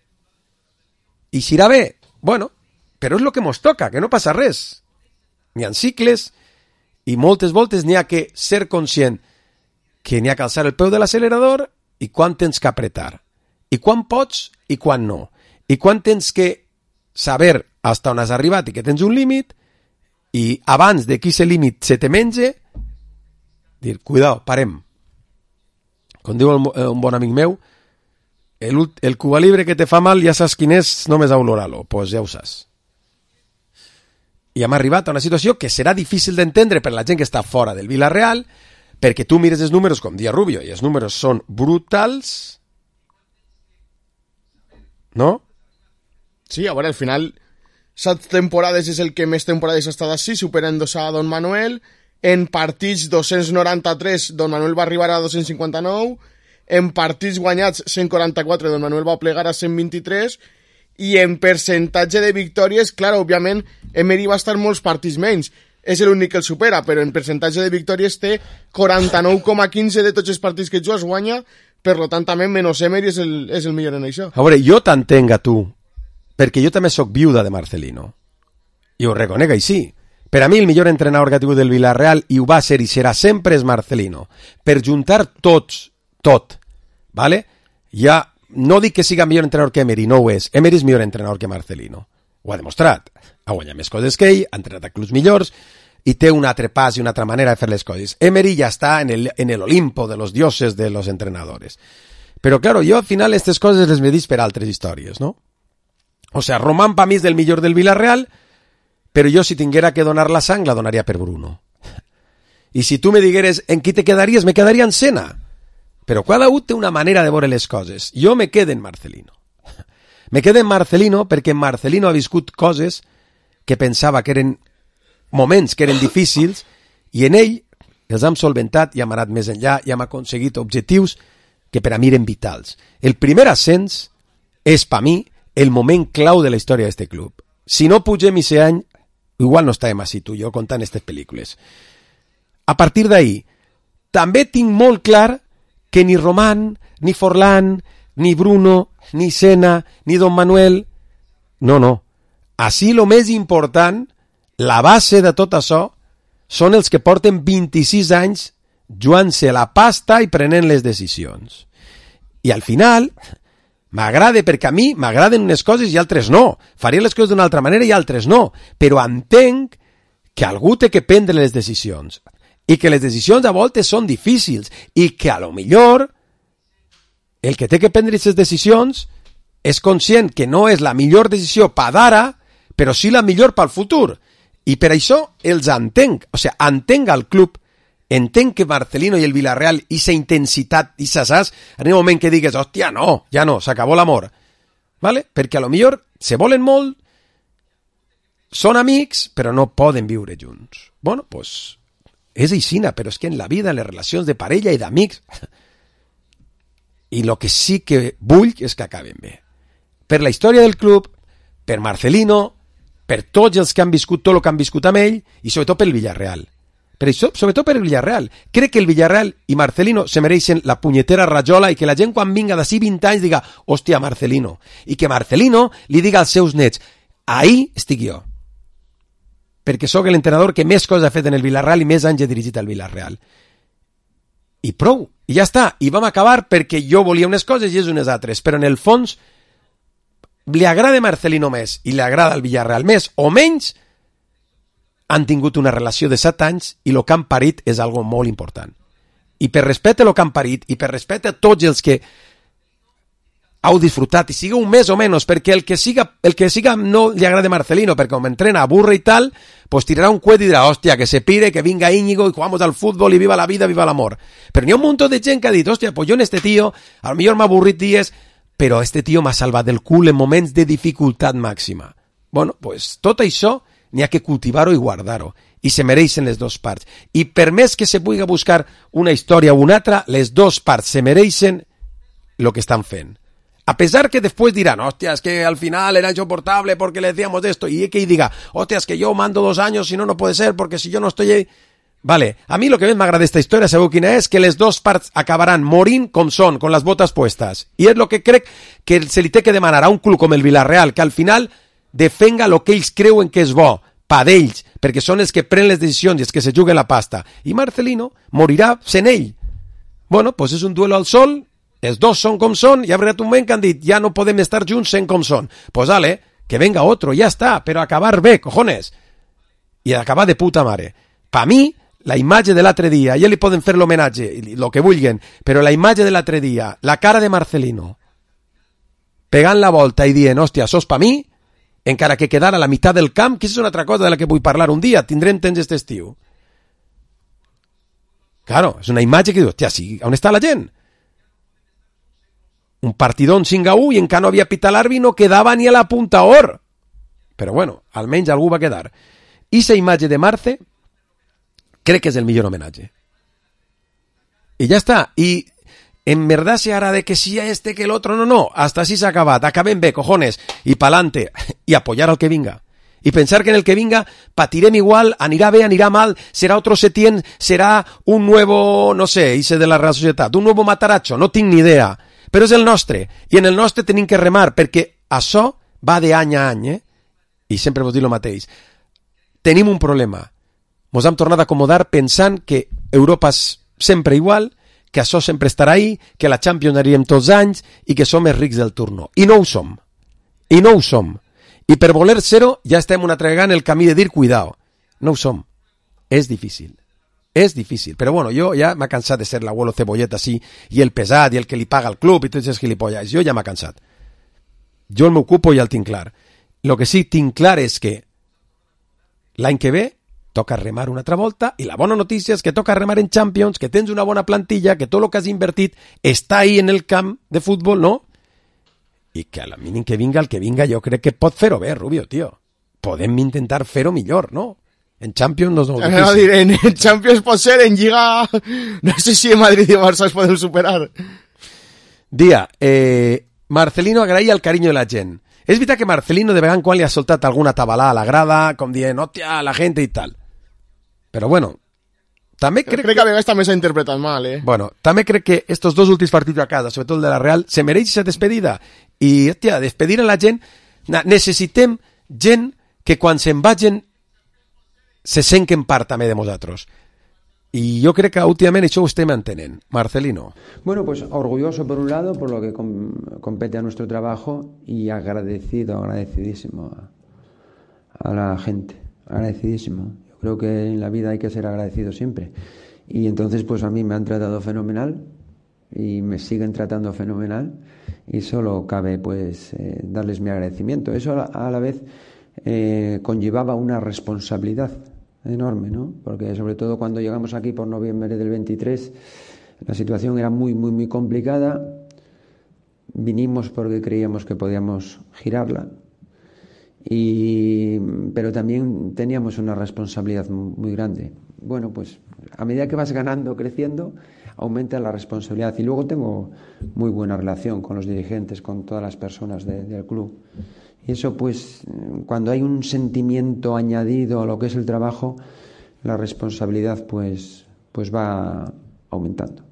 I si irà bé, bueno, però és el que mos toca, que no passa res. N'hi ha cicles i moltes voltes n'hi ha que ser conscient que n'hi ha que alçar el peu de l'accelerador i quan tens que apretar. I quan pots i quan no. I quan tens que saber hasta on has arribat i que tens un límit i abans de que aquest límit se te menge, dir, cuidao, parem. Com diu un bon amic meu, el, el Cuba Libre que te fa mal ja saps quin és, només a olorar-lo, pues ja ho saps. I hem arribat a una situació que serà difícil d'entendre per la gent que està fora del Villarreal, perquè tu mires els números, com dia Rubio, i els números són brutals, no? Sí, a veure, al final, set temporades és el que més temporades ha estat així, superant-se a Don Manuel. En partits dos-cents noranta-tres, Don Manuel va arribar a dos-cents cinquanta-nou. En partits guanyats, cent quaranta-quatre, Don Manuel va plegar a cent vint-i-tres. I en percentatge de victòries, clar, òbviament, Emery va estar molts partits menys. És l'únic que el supera, però en percentatge de victòries té quaranta-nou coma quinze de tots els partits que jugues guanya, per tant, també menys Emery és el, és el millor en això. A veure, jo t'entenc a tu, perquè jo també sóc viuda de Marcelino. I ho reconec així. Per a mi el millor entrenador que ha tingut del Villarreal, i ho va ser i serà sempre, és Marcelino. Per juntar tots, tot, ¿vale? Ja no dic que siga millor entrenador que Emery, no ho és. Emery és millor entrenador que Marcelino. Ho ha demostrat. Ha guanyat més coses que ell, ha entrenat a clubs millors, i té un altre pas i una altra manera de fer les coses. Emery ja està en el, en el Olimpo de los dioses de los entrenadores. Però, claro, jo al final aquestes coses les medís per altres històries, no? O sea, Román pa mi és del millor del Villarreal, però jo si tinguera que donar la sang la donaria per Bruno. I si tu me digueres en qui te quedaries, me quedaria en Sena. Però cada un té una manera de veure les coses. Jo me quedo en Marcelino. Me quedo en Marcelino perquè Marcelino ha viscut coses que pensava que eren moments que eren difícils i en ell els hem solventat i hem anat més enllà i hem aconseguit objectius que per a mi eren vitals. El primer ascens és per mi el moment clau de la història d'aquest club. Si no pugem aquest any, igual no estàvem així tu i jo contant aquestes pel·lícules. A partir d'ahí, també tinc molt clar que ni Román, ni Forlán, ni Bruno, ni Sena, ni Don Manuel... No, no. Així el més important, la base de tot això, són els que porten vint-i-sis anys jugant-se la pasta i prenent les decisions. I al final, m'agrada perquè a mi m'agraden unes coses i altres no. Faria les coses d'una altra manera i altres no. Però entenc que algú té que prendre les decisions i que les decisions a voltes són difícils i que a lo millor el que té que prendre aquestes decisions és conscient que no és la millor decisió per d'ara, però sí la millor pel futur. I per això els entenc. O sigui, entenc al club, entenc que Marcelino i el Villarreal, aquesta intensitat, aquesta saps, en un moment que digues, hòstia, no, ja no, s'acabó l'amor. ¿Vale? Perquè a lo millor se volen molt, són amics, però no poden viure junts. Bueno, pues, és aixina, però és que en la vida, en les relacions de parella i d'amics, i el que sí que vull és que acaben bé. Per la història del club, per Marcelino, per tots els que han viscut tot el que han viscut amb ell, i sobretot pel Villarreal. per això, sobretot per el Villarreal. Crec que el Villarreal i Marcelino se mereixen la punyetera rajola i que la gent quan vinga d'ací vint anys diga, hòstia, Marcelino. I que Marcelino li diga als seus nets, ahí estic jo. Perquè sóc l'entrenador que més coses ha fet en el Villarreal i més anys he dirigit al Villarreal. I prou, i ja està. I vam acabar perquè jo volia unes coses i és unes altres. Però en el fons li agrada Marcelino més i li agrada el Villarreal més o menys, han tingut una relació de set anys i el que han parit és algo molt important. I per respecte a el que han parit i per respecte a tots els que heu disfrutat i sigueu més o menys, perquè el que siga, el que siga no li agrada Marcelino, perquè com entrena, aburre i tal, pues tirarà un cuet i dirà, hòstia, que se pire, que vinga Íñigo y jugamos al fútbol y viva la vida, viva l'amor. Però n'hi ha un munt de gent que ha dit, hòstia, pues jo en este tío, a lo millor m'ha avorrit dies, però este tío m'ha salvat del cul en moments de dificultat màxima. Bueno, pues tot això n'hi ha que cultivar-ho i guardar-ho. I se mereixen les dues parts. I per més que se pugui buscar una història o una altra, les dues parts se mereixen el que estan fent. A pesar que después dirán, hostia, es que al final era insoportable porque le decíamos esto, y que diga, hostia, es que yo mando dos años, si no, no puede ser, porque si yo no estoy ahí... Vale, a mi lo que més m'agrada d'esta història, sabeu quina és? Que les dues parts acabaran morint com són, con les botes puestas. I és el que crec que se li té que demanar a un club com el Villarreal, que al final defenga el que ells creuen que és bo, pa d'ells, perquè són els que prenen les decisions i els que se juguen la pasta. I Marcelino morirà sent ell. Bueno, pues és un duelo al sol, els dos són com són, i ha arribat un moment que han dit, ja no podem estar junts sent com són. Pues vale, que venga otro, ja està, però acabar bé, cojones. I acabar de puta mare. Pa mi, la imatge de l'altre dia, ja li poden fer l'homenatge, el que vulguen, però la imatge de l'altre dia, la cara de Marcelino, pegant la volta i dient, hòstia, sos pa mi, encara que quedara a la meitat del camp, que és una altra cosa de la que vull parlar un dia, tindrem temps aquest estiu. Claro, és una imatge que diu, hòstia, sí, on està la gent? Un partidón cinc a u i encara no havia pitat l'àrbitre, no quedava ni a la punta or. Però bueno, almenys algú va quedar. I la imatge de Marce crec que és el millor homenatge. I ja està. I en verdad se hará de que sí a este que el otro, no, no, hasta así se ha acabat, acabem bé, cojones, i pa'lante, i apoyar al que vinga. I pensar que en el que vinga patirem igual, anirà bé, anirà mal, serà otro Setién, serà un nuevo, no sé, hice de la Real Societat, un nuevo Matarazzo, no tinc ni idea, però és el nostre, i en el nostre tenim que remar, perquè això va de any a any, eh? I sempre vos dic el mateix. Tenim un problema. Mos hem tornat a acomodar pensant que Europa és sempre igual, que això sempre estarà ahí, que la Champions anirem tots anys i que som els rics del turno. I no ho som. I no ho som. I per voler ser-ho ja estem una altra vegada en el camí de dir cuidao. No ho som. És difícil. És difícil. Però bueno, jo ja m'ha cansat de ser l'abuelo cebolleta així, i el pesat, i el que li paga al club, i tots els gilipollas. Jo ja m'ha cansat. Jo el m'ocupo i ja el tinc clar. Lo que sí tinc clar és que l'any que ve toca remar una altra volta, i la bona notícia és que toca remar en Champions, que tens una bona plantilla, que tot el que has invertit està ahí en el camp de futbol, no? I que a la mínim que vinga el que vinga, jo crec que pot fer-ho bé, Rubio, tio. Podem intentar fer-ho millor, no? En Champions no és molt difícil. No, diré, en Champions pot ser, en Lliga no sé si en Madrid i Barça es poden superar. Dia, eh, Marcelino agraïa el carinyo de la gent. És veritat que Marcelino de vegada en quan li ha soltat alguna tabalà a la grada, com dient, hòstia, la gent i tal. Però bueno, també crec, crec que a vegades també s'ha interpretat mal, eh? Bueno, també crec que estos dos últims partits a casa, sobretot el de la Real, se mereix aquesta despedida. I, hòstia, despedir a la gent, necessitem gent que quan se'n vagin se senquen part també de nosaltres. Y yo creo que últimamente eso usted me entenent. Marcelino. Bueno, pues orgulloso por un lado por lo que com compete a nuestro trabajo y agradecido, agradecidísimo a, a la gente, agradecidísimo. Yo creo que en la vida hay que ser agradecido siempre. Y entonces pues a mí me han tratado fenomenal y me siguen tratando fenomenal y solo cabe pues eh, darles mi agradecimiento. Eso a la, a la vez eh, conllevaba una responsabilidad enorme, ¿no? Porque sobre todo cuando llegamos aquí por noviembre del veintitrés la situación era muy muy muy complicada. Vinimos porque creíamos que podíamos girarla y pero también teníamos una responsabilidad muy grande. Bueno, pues a medida que vas ganando, creciendo, aumenta la responsabilidad y luego tengo muy buena relación con los dirigentes, con todas las personas de, del club. Y eso, pues, cuando hay un sentimiento añadido a lo que es el trabajo, la responsabilidad pues, pues va aumentando.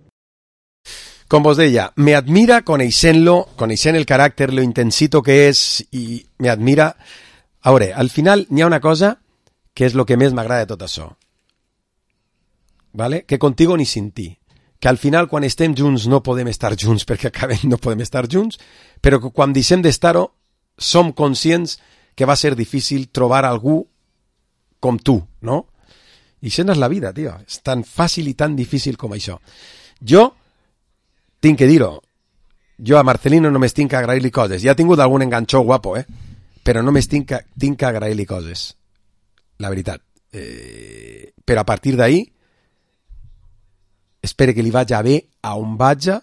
Com vos deia, me admira coneixent-lo, coneixent el caràcter, lo intensito que és, i me admira... A veure, al final n'hi ha una cosa que és el que més m'agrada de tot això. ¿Vale? Que contigo ni sin ti. Que al final, quan estem junts, no podem estar junts perquè acabem, no podem estar junts, però que quan deixem d'estar-ho, som conscients que va ser difícil trobar algú com tu, no? I això no és la vida, tio. És tan fàcil i tan difícil com això. Jo tinc que dir-ho. Jo a Marcelino només tinc que agrair-li coses. Ja ha tingut algun enganxó guapo, eh? Però només tinc que, tinc que agrair-li coses. La veritat. Eh, però a partir d'ahí, espero que li vagi bé a on vagi.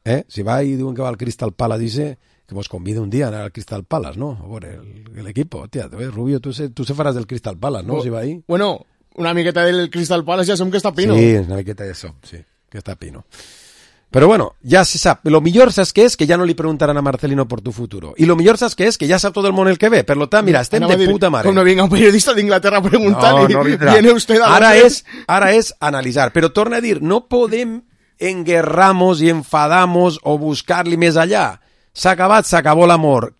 Eh? Si va i diuen que va al Crystal Palace, dice que vos convida un dia a anar al Crystal Palace, ¿no? A veure, l'equip, tia, Rubio, tu se, tu se faràs del Crystal Palace, ¿no? O, si va ahí. Bueno, una miqueta del Crystal Palace ja som que està pino. Sí, una miqueta de som, sí, que està pino. Pero bueno, ya se sabe. Lo mejor, ¿sabes qué es? Que ya no le preguntarán a Marcelino por tu futuro. Y lo mejor, ¿sabes qué es? Que ya sabe todo el mundo el que ve. Per lo tant, mira, estem de puta mare. Cuando venga un periodista de Inglaterra a preguntar, no, no viene usted a... Ara és, ara és analitzar. Però torna a dir, no podem enguerramos i enfadamos o buscar-li més allà. S'ha acabat, s'acabó l'amor.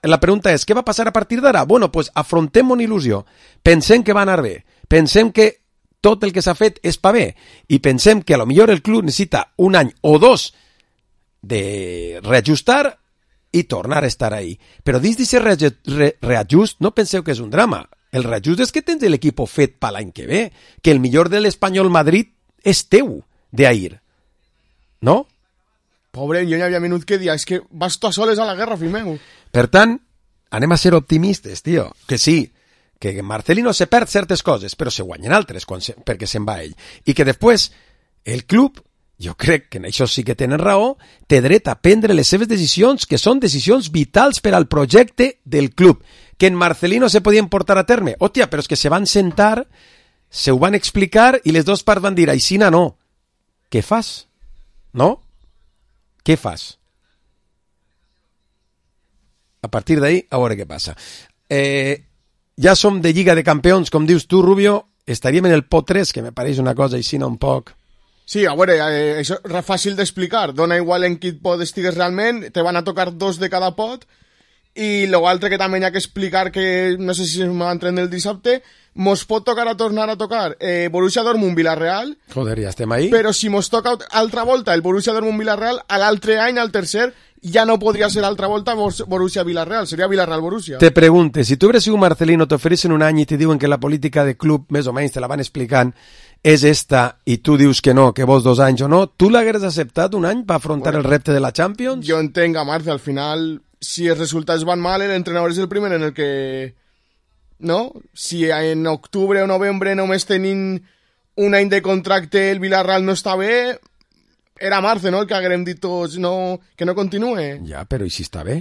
La pregunta és, què va passar a partir d'ara? Bueno, pues afrontem una il·lusió. Pensem que va anar bé. Pensem que tot el que s'ha fet és pa bé, i pensem que a lo millor el club necessita un any o dos de reajustar i tornar a estar ahí. Però dins d'aquest re reajust no penseu que és un drama. El reajust és que tens l'equip fet per l'any que ve, que el millor de l'Espanyol Madrid és teu, d'ahir. No? Pobre, jo n'hi havia minut que dia, és que vas tu a soles a la guerra, fill meu. Per tant, anem a ser optimistes, tio. Que sí, que Marcelino se perd certes coses, però se guanyen altres quan se, perquè se'n va ell. I que després el club, jo crec que en això sí que tenen raó, té dret a prendre les seves decisions, que són decisions vitals per al projecte del club, que en Marcelino se podien portar a terme. Hòstia, però és que se van sentar, se ho van explicar i les dues parts van dir, aixina no. Què fas? No? Què fas? A partir d'ahí, a veure què passa. Eh... Ja som de Lliga de Campions, com dius tu, Rubio, estaríem en el pot tres, que me pareix una cosa així un poc... Sí, a veure, eh, això és fàcil d'explicar. Dona igual en quin pot estigues realment, te van a tocar dos de cada pot, i l'altre que també hi ha que explicar, que no sé si es m'entren el dissabte, mos pot tocar a tornar a tocar eh, Borussia Dortmund Villarreal. Joder, ja estem ahí. Però si mos toca altra volta el Borussia Dortmund Villarreal, a l'altre any, al tercer, ja no podria ser altra volta Borussia Villarreal, seria Villarreal Borussia. Te pregunte, si tu hubieras sido Marcelino, te ofrecen un any i te diuen que la política de club, més o menys, te la van explicant, és esta, i tu dius que no, que vols dos anys o no, tu l'hagueres acceptat un any per afrontar bueno, el repte de la Champions? Jo entenc a Marce, al final, si els resultats van mal, l'entrenador és el primer en el que... No? Si en octubre o novembre només tenint un any de contracte el Villarreal no està bé... Era Marce, no?, el que haguem dit tots no, que no continue. Ja, però i si està bé?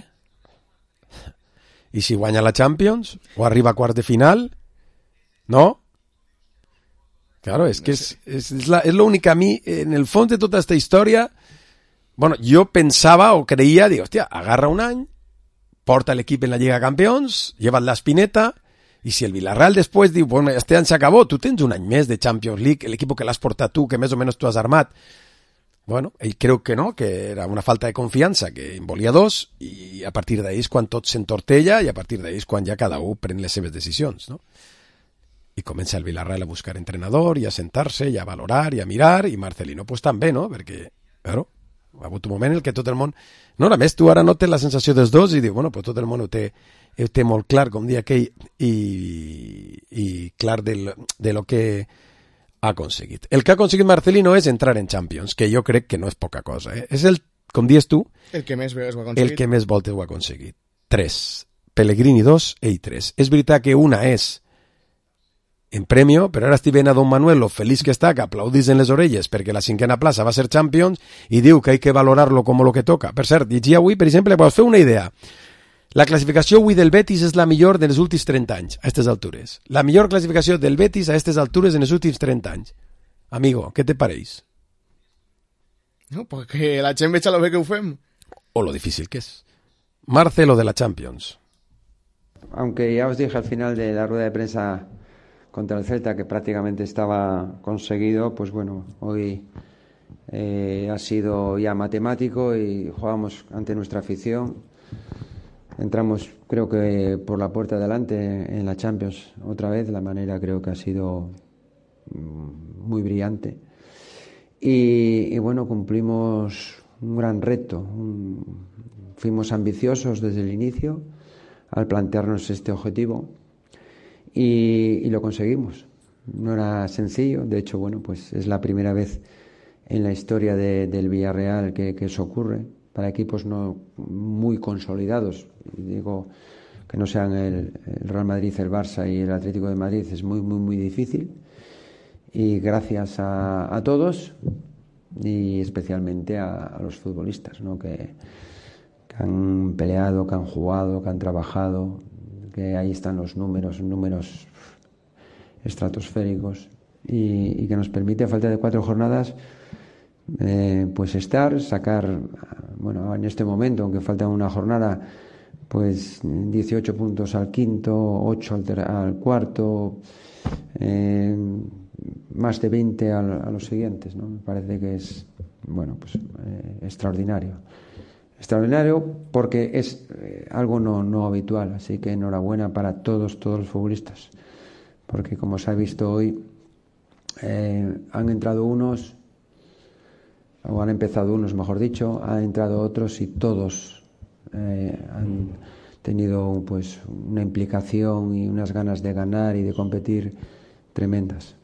I si guanya la Champions? O arriba a quart de final? No? Claro, és que és, és, és, la, és l'únic a mi, en el fons de tota aquesta història, bueno, jo pensava o creia, dic, hòstia, agarra un any, porta l'equip en la Lliga de Campions, lleva't l'espineta, i si el Villarreal després diu, bueno, este any s'acabó, tu tens un any més de Champions League, l'equip que l'has portat tu, que més o menys tu has armat. Bueno, ell creu que no, que era una falta de confiança, que en volia dos, i a partir d'ahí és quan tot s'entortella, i a partir d'ahí és quan ja cada un pren les seves decisions, no? I comença el Villarreal a buscar entrenador, i a sentar-se, i a valorar, i a mirar, i Marcelino pues també, no? Perquè, claro, ha hagut un moment en què tot el món... No, a més, tu ara no tens la sensació dels dos, i diu, bueno, pues tot el món ho té, ho té molt clar, com dia aquell, i, i clar del, de lo que... ha aconseguit. El que ha aconseguit Marcelino és entrar en Champions, que jo crec que no és poca cosa. Eh? És el, com dius tu, el que més veus ho ha aconseguit. El que més voltes ho ha aconseguit. Tres. Pellegrini dos, ell tres. És veritat que una és en premio, però ara estic veient a Don Manuel, lo feliç que està, que aplaudís en les orelles perquè la cinquena plaça va ser Champions i diu que hay que valorarlo como lo que toca. Per cert, llegia avui, per exemple, per fer una idea. La classificació avui del Betis és la millor dels últims trenta anys, a aquestes altures. La millor classificació del Betis a aquestes altures en els últims trenta anys. Amigo, què te pareix? No, perquè la gent veig a lo bé que ho fem. O lo difícil que és. Marcelo de la Champions. Aunque ya os dije al final de la rueda de prensa contra el Celta, que prácticamente estaba conseguido, pues bueno, hoy eh, ha sido ya matemático y jugamos ante nuestra afición. Entramos, creo que por la puerta de adelante en la Champions otra vez. La manera creo que ha sido muy brillante. Y, y bueno, cumplimos un gran reto. Un, fuimos ambiciosos desde el inicio al plantearnos este objetivo y, y lo conseguimos. No era sencillo. De hecho, bueno, pues es la primera vez en la historia de, del Villarreal que, que eso ocurre. Para equipos no muy consolidados, digo que no sean el, el Real Madrid, el Barça y el Atlético de Madrid, es muy, muy, muy difícil. Y gracias a, a todos y especialmente a, a los futbolistas, ¿no? que, que han peleado, que han jugado, que han trabajado, que ahí están los números, números estratosféricos y, y que nos permite, a falta de cuatro jornadas, Eh, pues estar, sacar, bueno, en este momento, aunque falta una jornada, pues dieciocho puntos al quinto, ocho al, ter- al cuarto, eh, más de veinte al, a los siguientes, ¿no? Me parece que es, bueno, pues eh, extraordinario. Extraordinario porque es eh, algo no, no habitual, así que enhorabuena para todos, todos los futbolistas, porque como se ha visto hoy, eh, han entrado unos o han empezado unos, mejor dicho, han entrado otros y todos eh, han tenido pues una implicación y unas ganas de ganar y de competir tremendas.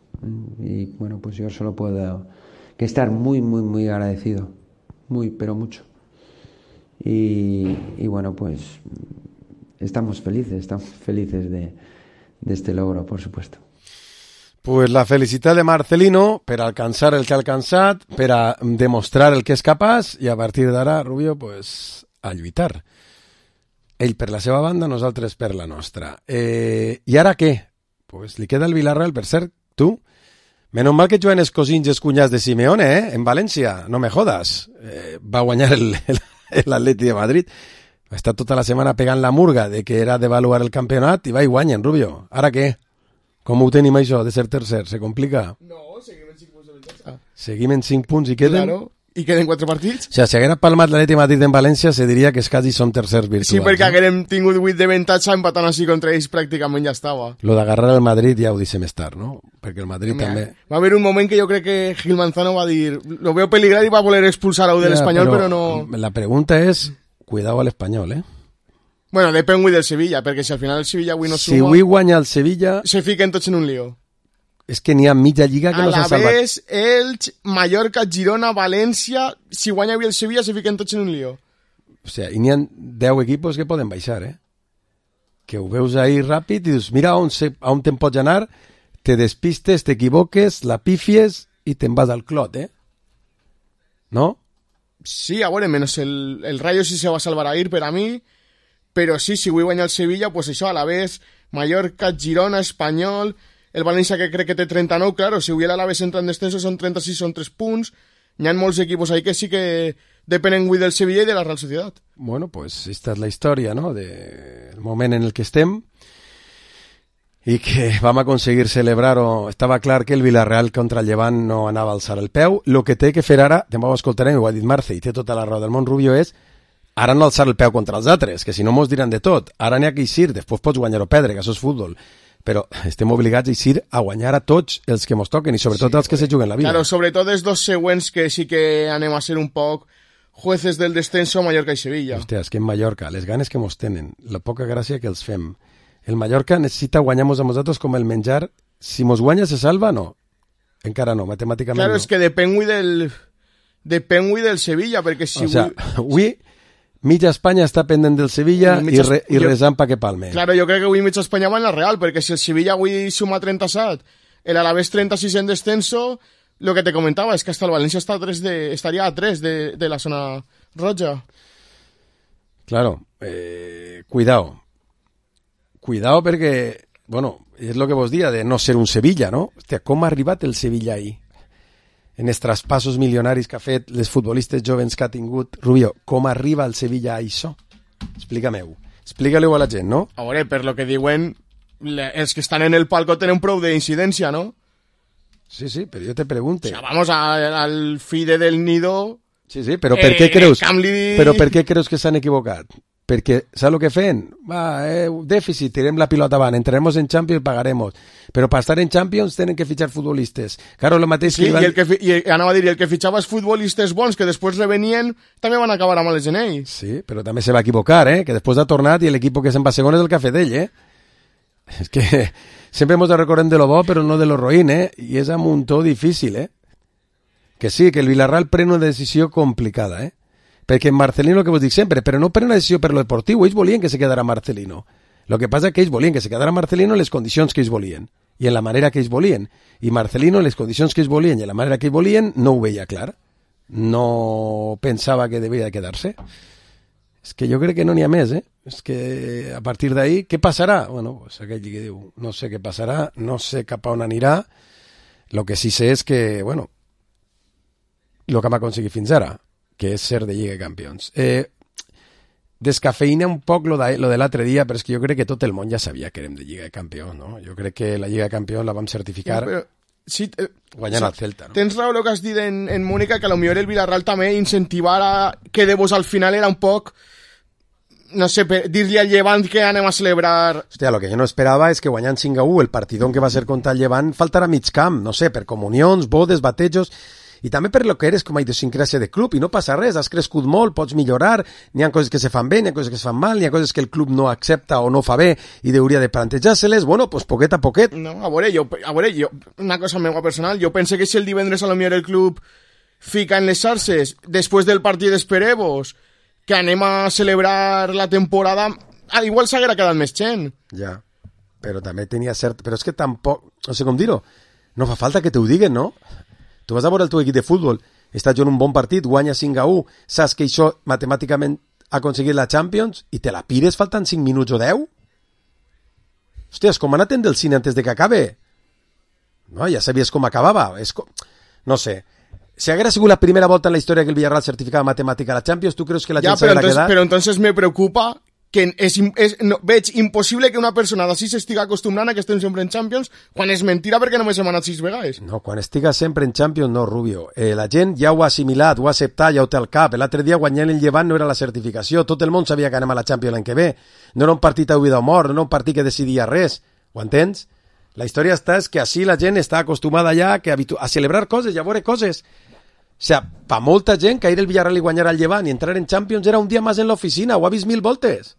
Y bueno, pues yo solo puedo que estar muy, muy, muy agradecido, muy, pero mucho. Y, y bueno, pues estamos felices, estamos felices de, de este logro, por supuesto. Pues la felicitat de Marcelino per alcançar el que ha alcançat, per a demostrar el que és capaç i a partir d'ara, Rubio, pues, a lluitar. Ell per la seva banda, nosaltres per la nostra. Eh, I ara què? Pues li queda el Villarreal, per cert, tu. Menos mal que juguen els cosins i els cunyats de Simeone, eh? En València, no me jodas. Eh, va guanyar el, el, l'Atleti de Madrid. Va estar tota la setmana pegant la murga de que era d'avaluar el campionat i va i guanyen, Rubio. Ara què? Com ho tenim això de ser tercer? Se complica? No, seguim en cinc punts de ventaja. Seguim en cinc punts i queden... Claro, i queden quatre partits. O sigui, si haguera palmat l'Atleti Madrid en València, se diria que és quasi som tercers virtuals. Sí, perquè no? haguérem tingut vuit de avantatge empatant així contra ells pràcticament ja estava. Lo d'agarrar el Madrid ja ho deixem estar, no? Perquè el Madrid Mira, també... Va haver un moment que jo crec que Gil Manzano va dir lo veo peligrar i va voler expulsar a un de l'Espanyol, però, però no... La pregunta és, cuidado al Espanyol, eh? Bueno, depèn avui del Sevilla, perquè si al final el Sevilla avui no suma... Si avui guanya el Sevilla... Se fiquen tots en un lío. És que n'hi ha mitja lliga que no s'ha salvat. Alavés, Elx, Mallorca, Girona, València... Si guanya avui el Sevilla, se fiquen tots en un lío. O sigui, i n'hi ha deu equipos que poden baixar, eh? Que ho veus ahí ràpid i dius, mira on, se, on te'n pots anar, te despistes, t'equivoques, la pífies i te'n vas al clot, eh? ¿No? Sí, a veure, menos el, el Rayo sí se va a salvar a ir per a mi, però sí, si avui guanya el Sevilla, pues això, Alavés, Mallorca, Girona, Espanyol... El València, que crec que té trenta-nou, claro, si avui l'Alaves entra en descenso són trenta-sis, són tres punts. Hi ha molts equipos ahí que sí que depenen avui del Sevilla i de la Real Sociedad. Bueno, pues esta es la història, ¿no? De el moment en el que estem i que vam aconseguir celebrar-ho. Estava clar que el Villarreal contra el Llevant no anava a alçar el peu. Lo que té que fer ara, també ho escoltarem, ho ha dit Marce, i té tota la raó del món, Rubio, és ara no alçar el peu contra els altres, que si no mos diran de tot. Ara n'hi ha que eixir, després pots guanyar o perdre, que això és futbol. Però estem obligats a eixir a guanyar a tots els que mos toquen i sobretot sí, els que se juguen la vida. Claro, sobretot els dos següents que sí que anem a ser un poc jueces del descenso, Mallorca i Sevilla. Hòstia, és que en Mallorca, les ganes que mos tenen, la poca gràcia que els fem. El Mallorca necessita guanyar-nos a nosaltres com el menjar. Si mos guanya se salva, no. Encara no, matemàticament claro, no. Claro, és que depèn avui del... depèn avui del Sevilla, perquè si... O sea, avui... Mitja Espanya està pendent del Sevilla i, mitja... i, re, i resant pa que palme. Claro, jo crec que avui mitja Espanya va en la Real, perquè si el Sevilla avui suma trenta-set, el Alavés trenta-sis en descenso, lo que te comentaba es que hasta el Valencia está a tres de, estaría a tres de, de la zona roja. Claro, eh, cuidado. Cuidado perquè, bueno, és lo que vos dia de no ser un Sevilla, no? Hòstia, com ha arribat el Sevilla ahí? En els traspassos milionaris que ha fet, les futbolistes jovens que ha tingut. Rubio, com arriba el Sevilla a això? Explica-me-ho. Explica-li-ho a la gent, no? A veure, per lo que diuen, le, els que estan en el palco tenen prou d'incidència, no? Sí, sí, pero yo te pregunto. O sea, vamos a, al FIDE del Nido... Sí, sí, però per què eh, creus? Camli... Però per què creus que s'han equivocat? Perquè, saps el que feien? Va, eh, dèficit, tirem la pilota avant, entraremos en Champions, pagaremos. Però per estar en Champions tenen que fitxar futbolistes. Claro, lo mateix sí, que iban... i, el que, i anava a dir, el que fitxava els futbolistes bons que després revenien, també van acabar amb els genells. Sí, però també se va equivocar, eh? Que després ha tornat i l'equip que se'n va segon és el que ha fet ell, eh? És que sempre hemos de recordar de lo bo, però no de lo roïn, eh? I és amb un to difícil, eh? Que sí, que el Villarreal pren una decisió complicada, eh? Perquè Marcelino, que vos dic sempre, però no pren una decisió per lo deportiu, ells volien que se quedara Marcelino. Lo que passa és que ells volien que se quedara Marcelino en les condicions que ells volien, i en la manera que ells volien. I Marcelino, en les condicions que ells volien i en la manera que ells volien, no ho veia clar. No pensava que devia quedar-se. És que jo crec que no n'hi ha més, eh? És que a partir d'ahí, què passarà? Bueno, pues aquell que diu, no sé què passarà, no sé cap a on anirà. Lo que sí sé és que, bueno, lo que hem aconseguit fins ara, que és ser de Lliga de Campions. Eh, descafeïna un poc lo de, lo de l'altre dia, però és que jo crec que tot el món ja sabia que érem de Lliga de Campions, no? Jo crec que la Lliga de Campions la vam certificar sí, però, sí, eh, guanyant sí, al Celta, no? Tens raó el que has dit en, en Mónica, que a lo millor el Villarreal també incentivara que de vos al final era un poc, no sé, dir-li al Llevant que anem a celebrar... Hòstia, lo que jo no esperava és que guanyant cinc a u el partidón que va ser contra el Llevant faltarà mig camp, no sé, per comunions, bodes, batejos... I també per lo que eres com a idiosincràsia de club, i no passa res, has crescut molt, pots millorar, n'hi ha coses que se fan bé, n'hi ha coses que se fan mal, n'hi ha coses que el club no accepta o no fa bé i hauria de plantejar-se-les, bueno, pues poquet a poquet. No, a veure, jo, a veure, jo, una cosa meva personal, jo pense que si el divendres a lo millor el club fica en les xarxes, després del partit d'Esperevos, que anem a celebrar la temporada, ah, igual s'haguera quedat més gent. Ja, però també tenia cert... Però és que tampoc, no sé com dir-ho, no fa falta que t'ho diguen, no? Tu vas a veure el teu equip de futbol, estàs jugant un bon partit, guanya cinc a u, saps que això matemàticament ha aconseguit la Champions i te la pires faltant cinc minuts o deu? Hòsties, com anaven del cine antes de que acabe? No, ja sabies com acabava. És com... No sé. Si haguera sigut la primera volta en la història que el Villarreal certificava matemàtica a la Champions, tu creus que la gent ja, s'haguera quedat? Però entonces me preocupa que és, és, no, veig impossible que una persona d'ací s'estiga acostumbrant a que estem sempre en Champions quan és mentira perquè només hem anat sis vegades. No, quan estiga sempre en Champions, no, Rubio. Eh, la gent ja ho ha assimilat, ho ha acceptat, ja ho té al cap. L'altre dia guanyant el Llevant no era la certificació. Tot el món sabia que anem a la Champions l'any que ve. No era un partit a vida o mort, no era un partit que decidia res. Ho entens? La història està és que així la gent està acostumada ja que habitu- a celebrar coses i a veure coses. O sea, pa molta gent cair el Villarreal i guanyar al Llevant i entrar en Champions era un dia més en l'oficina, ho ha vist mil voltes.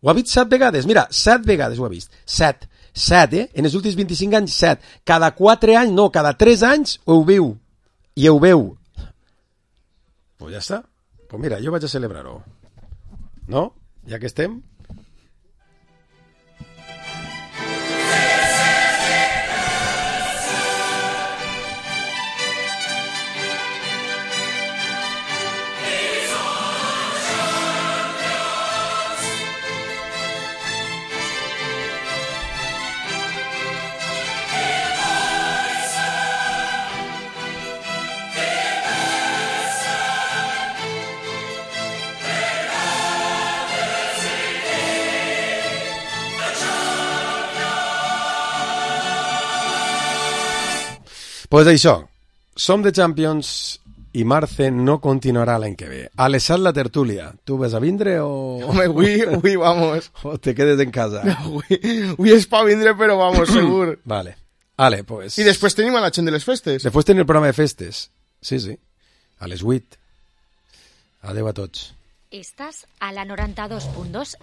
Ho ha vist set vegades, mira, set vegades ho ha vist, set, set, eh? En els últims vint-i-cinc anys, set. Cada quatre anys, no, cada tres anys ho viu, i ho veu. Pues ja està, pues mira, jo vaig a celebrar-ho, no? Ja que estem... Pues això, som de Champions i Marce no continuarà l'any que ve. Alessat la tertúlia, tu vas a vindre o... Home, avui, avui vamos. O te quedes en casa? No, avui, avui és pa vindre, però vamos, segur. Vale. Vale, pues... I després tenim a la gent de les festes. Després tenim el programa de festes. Sí, sí. A les vuit. Adeu a tots. Estàs a la noranta-dos punt dos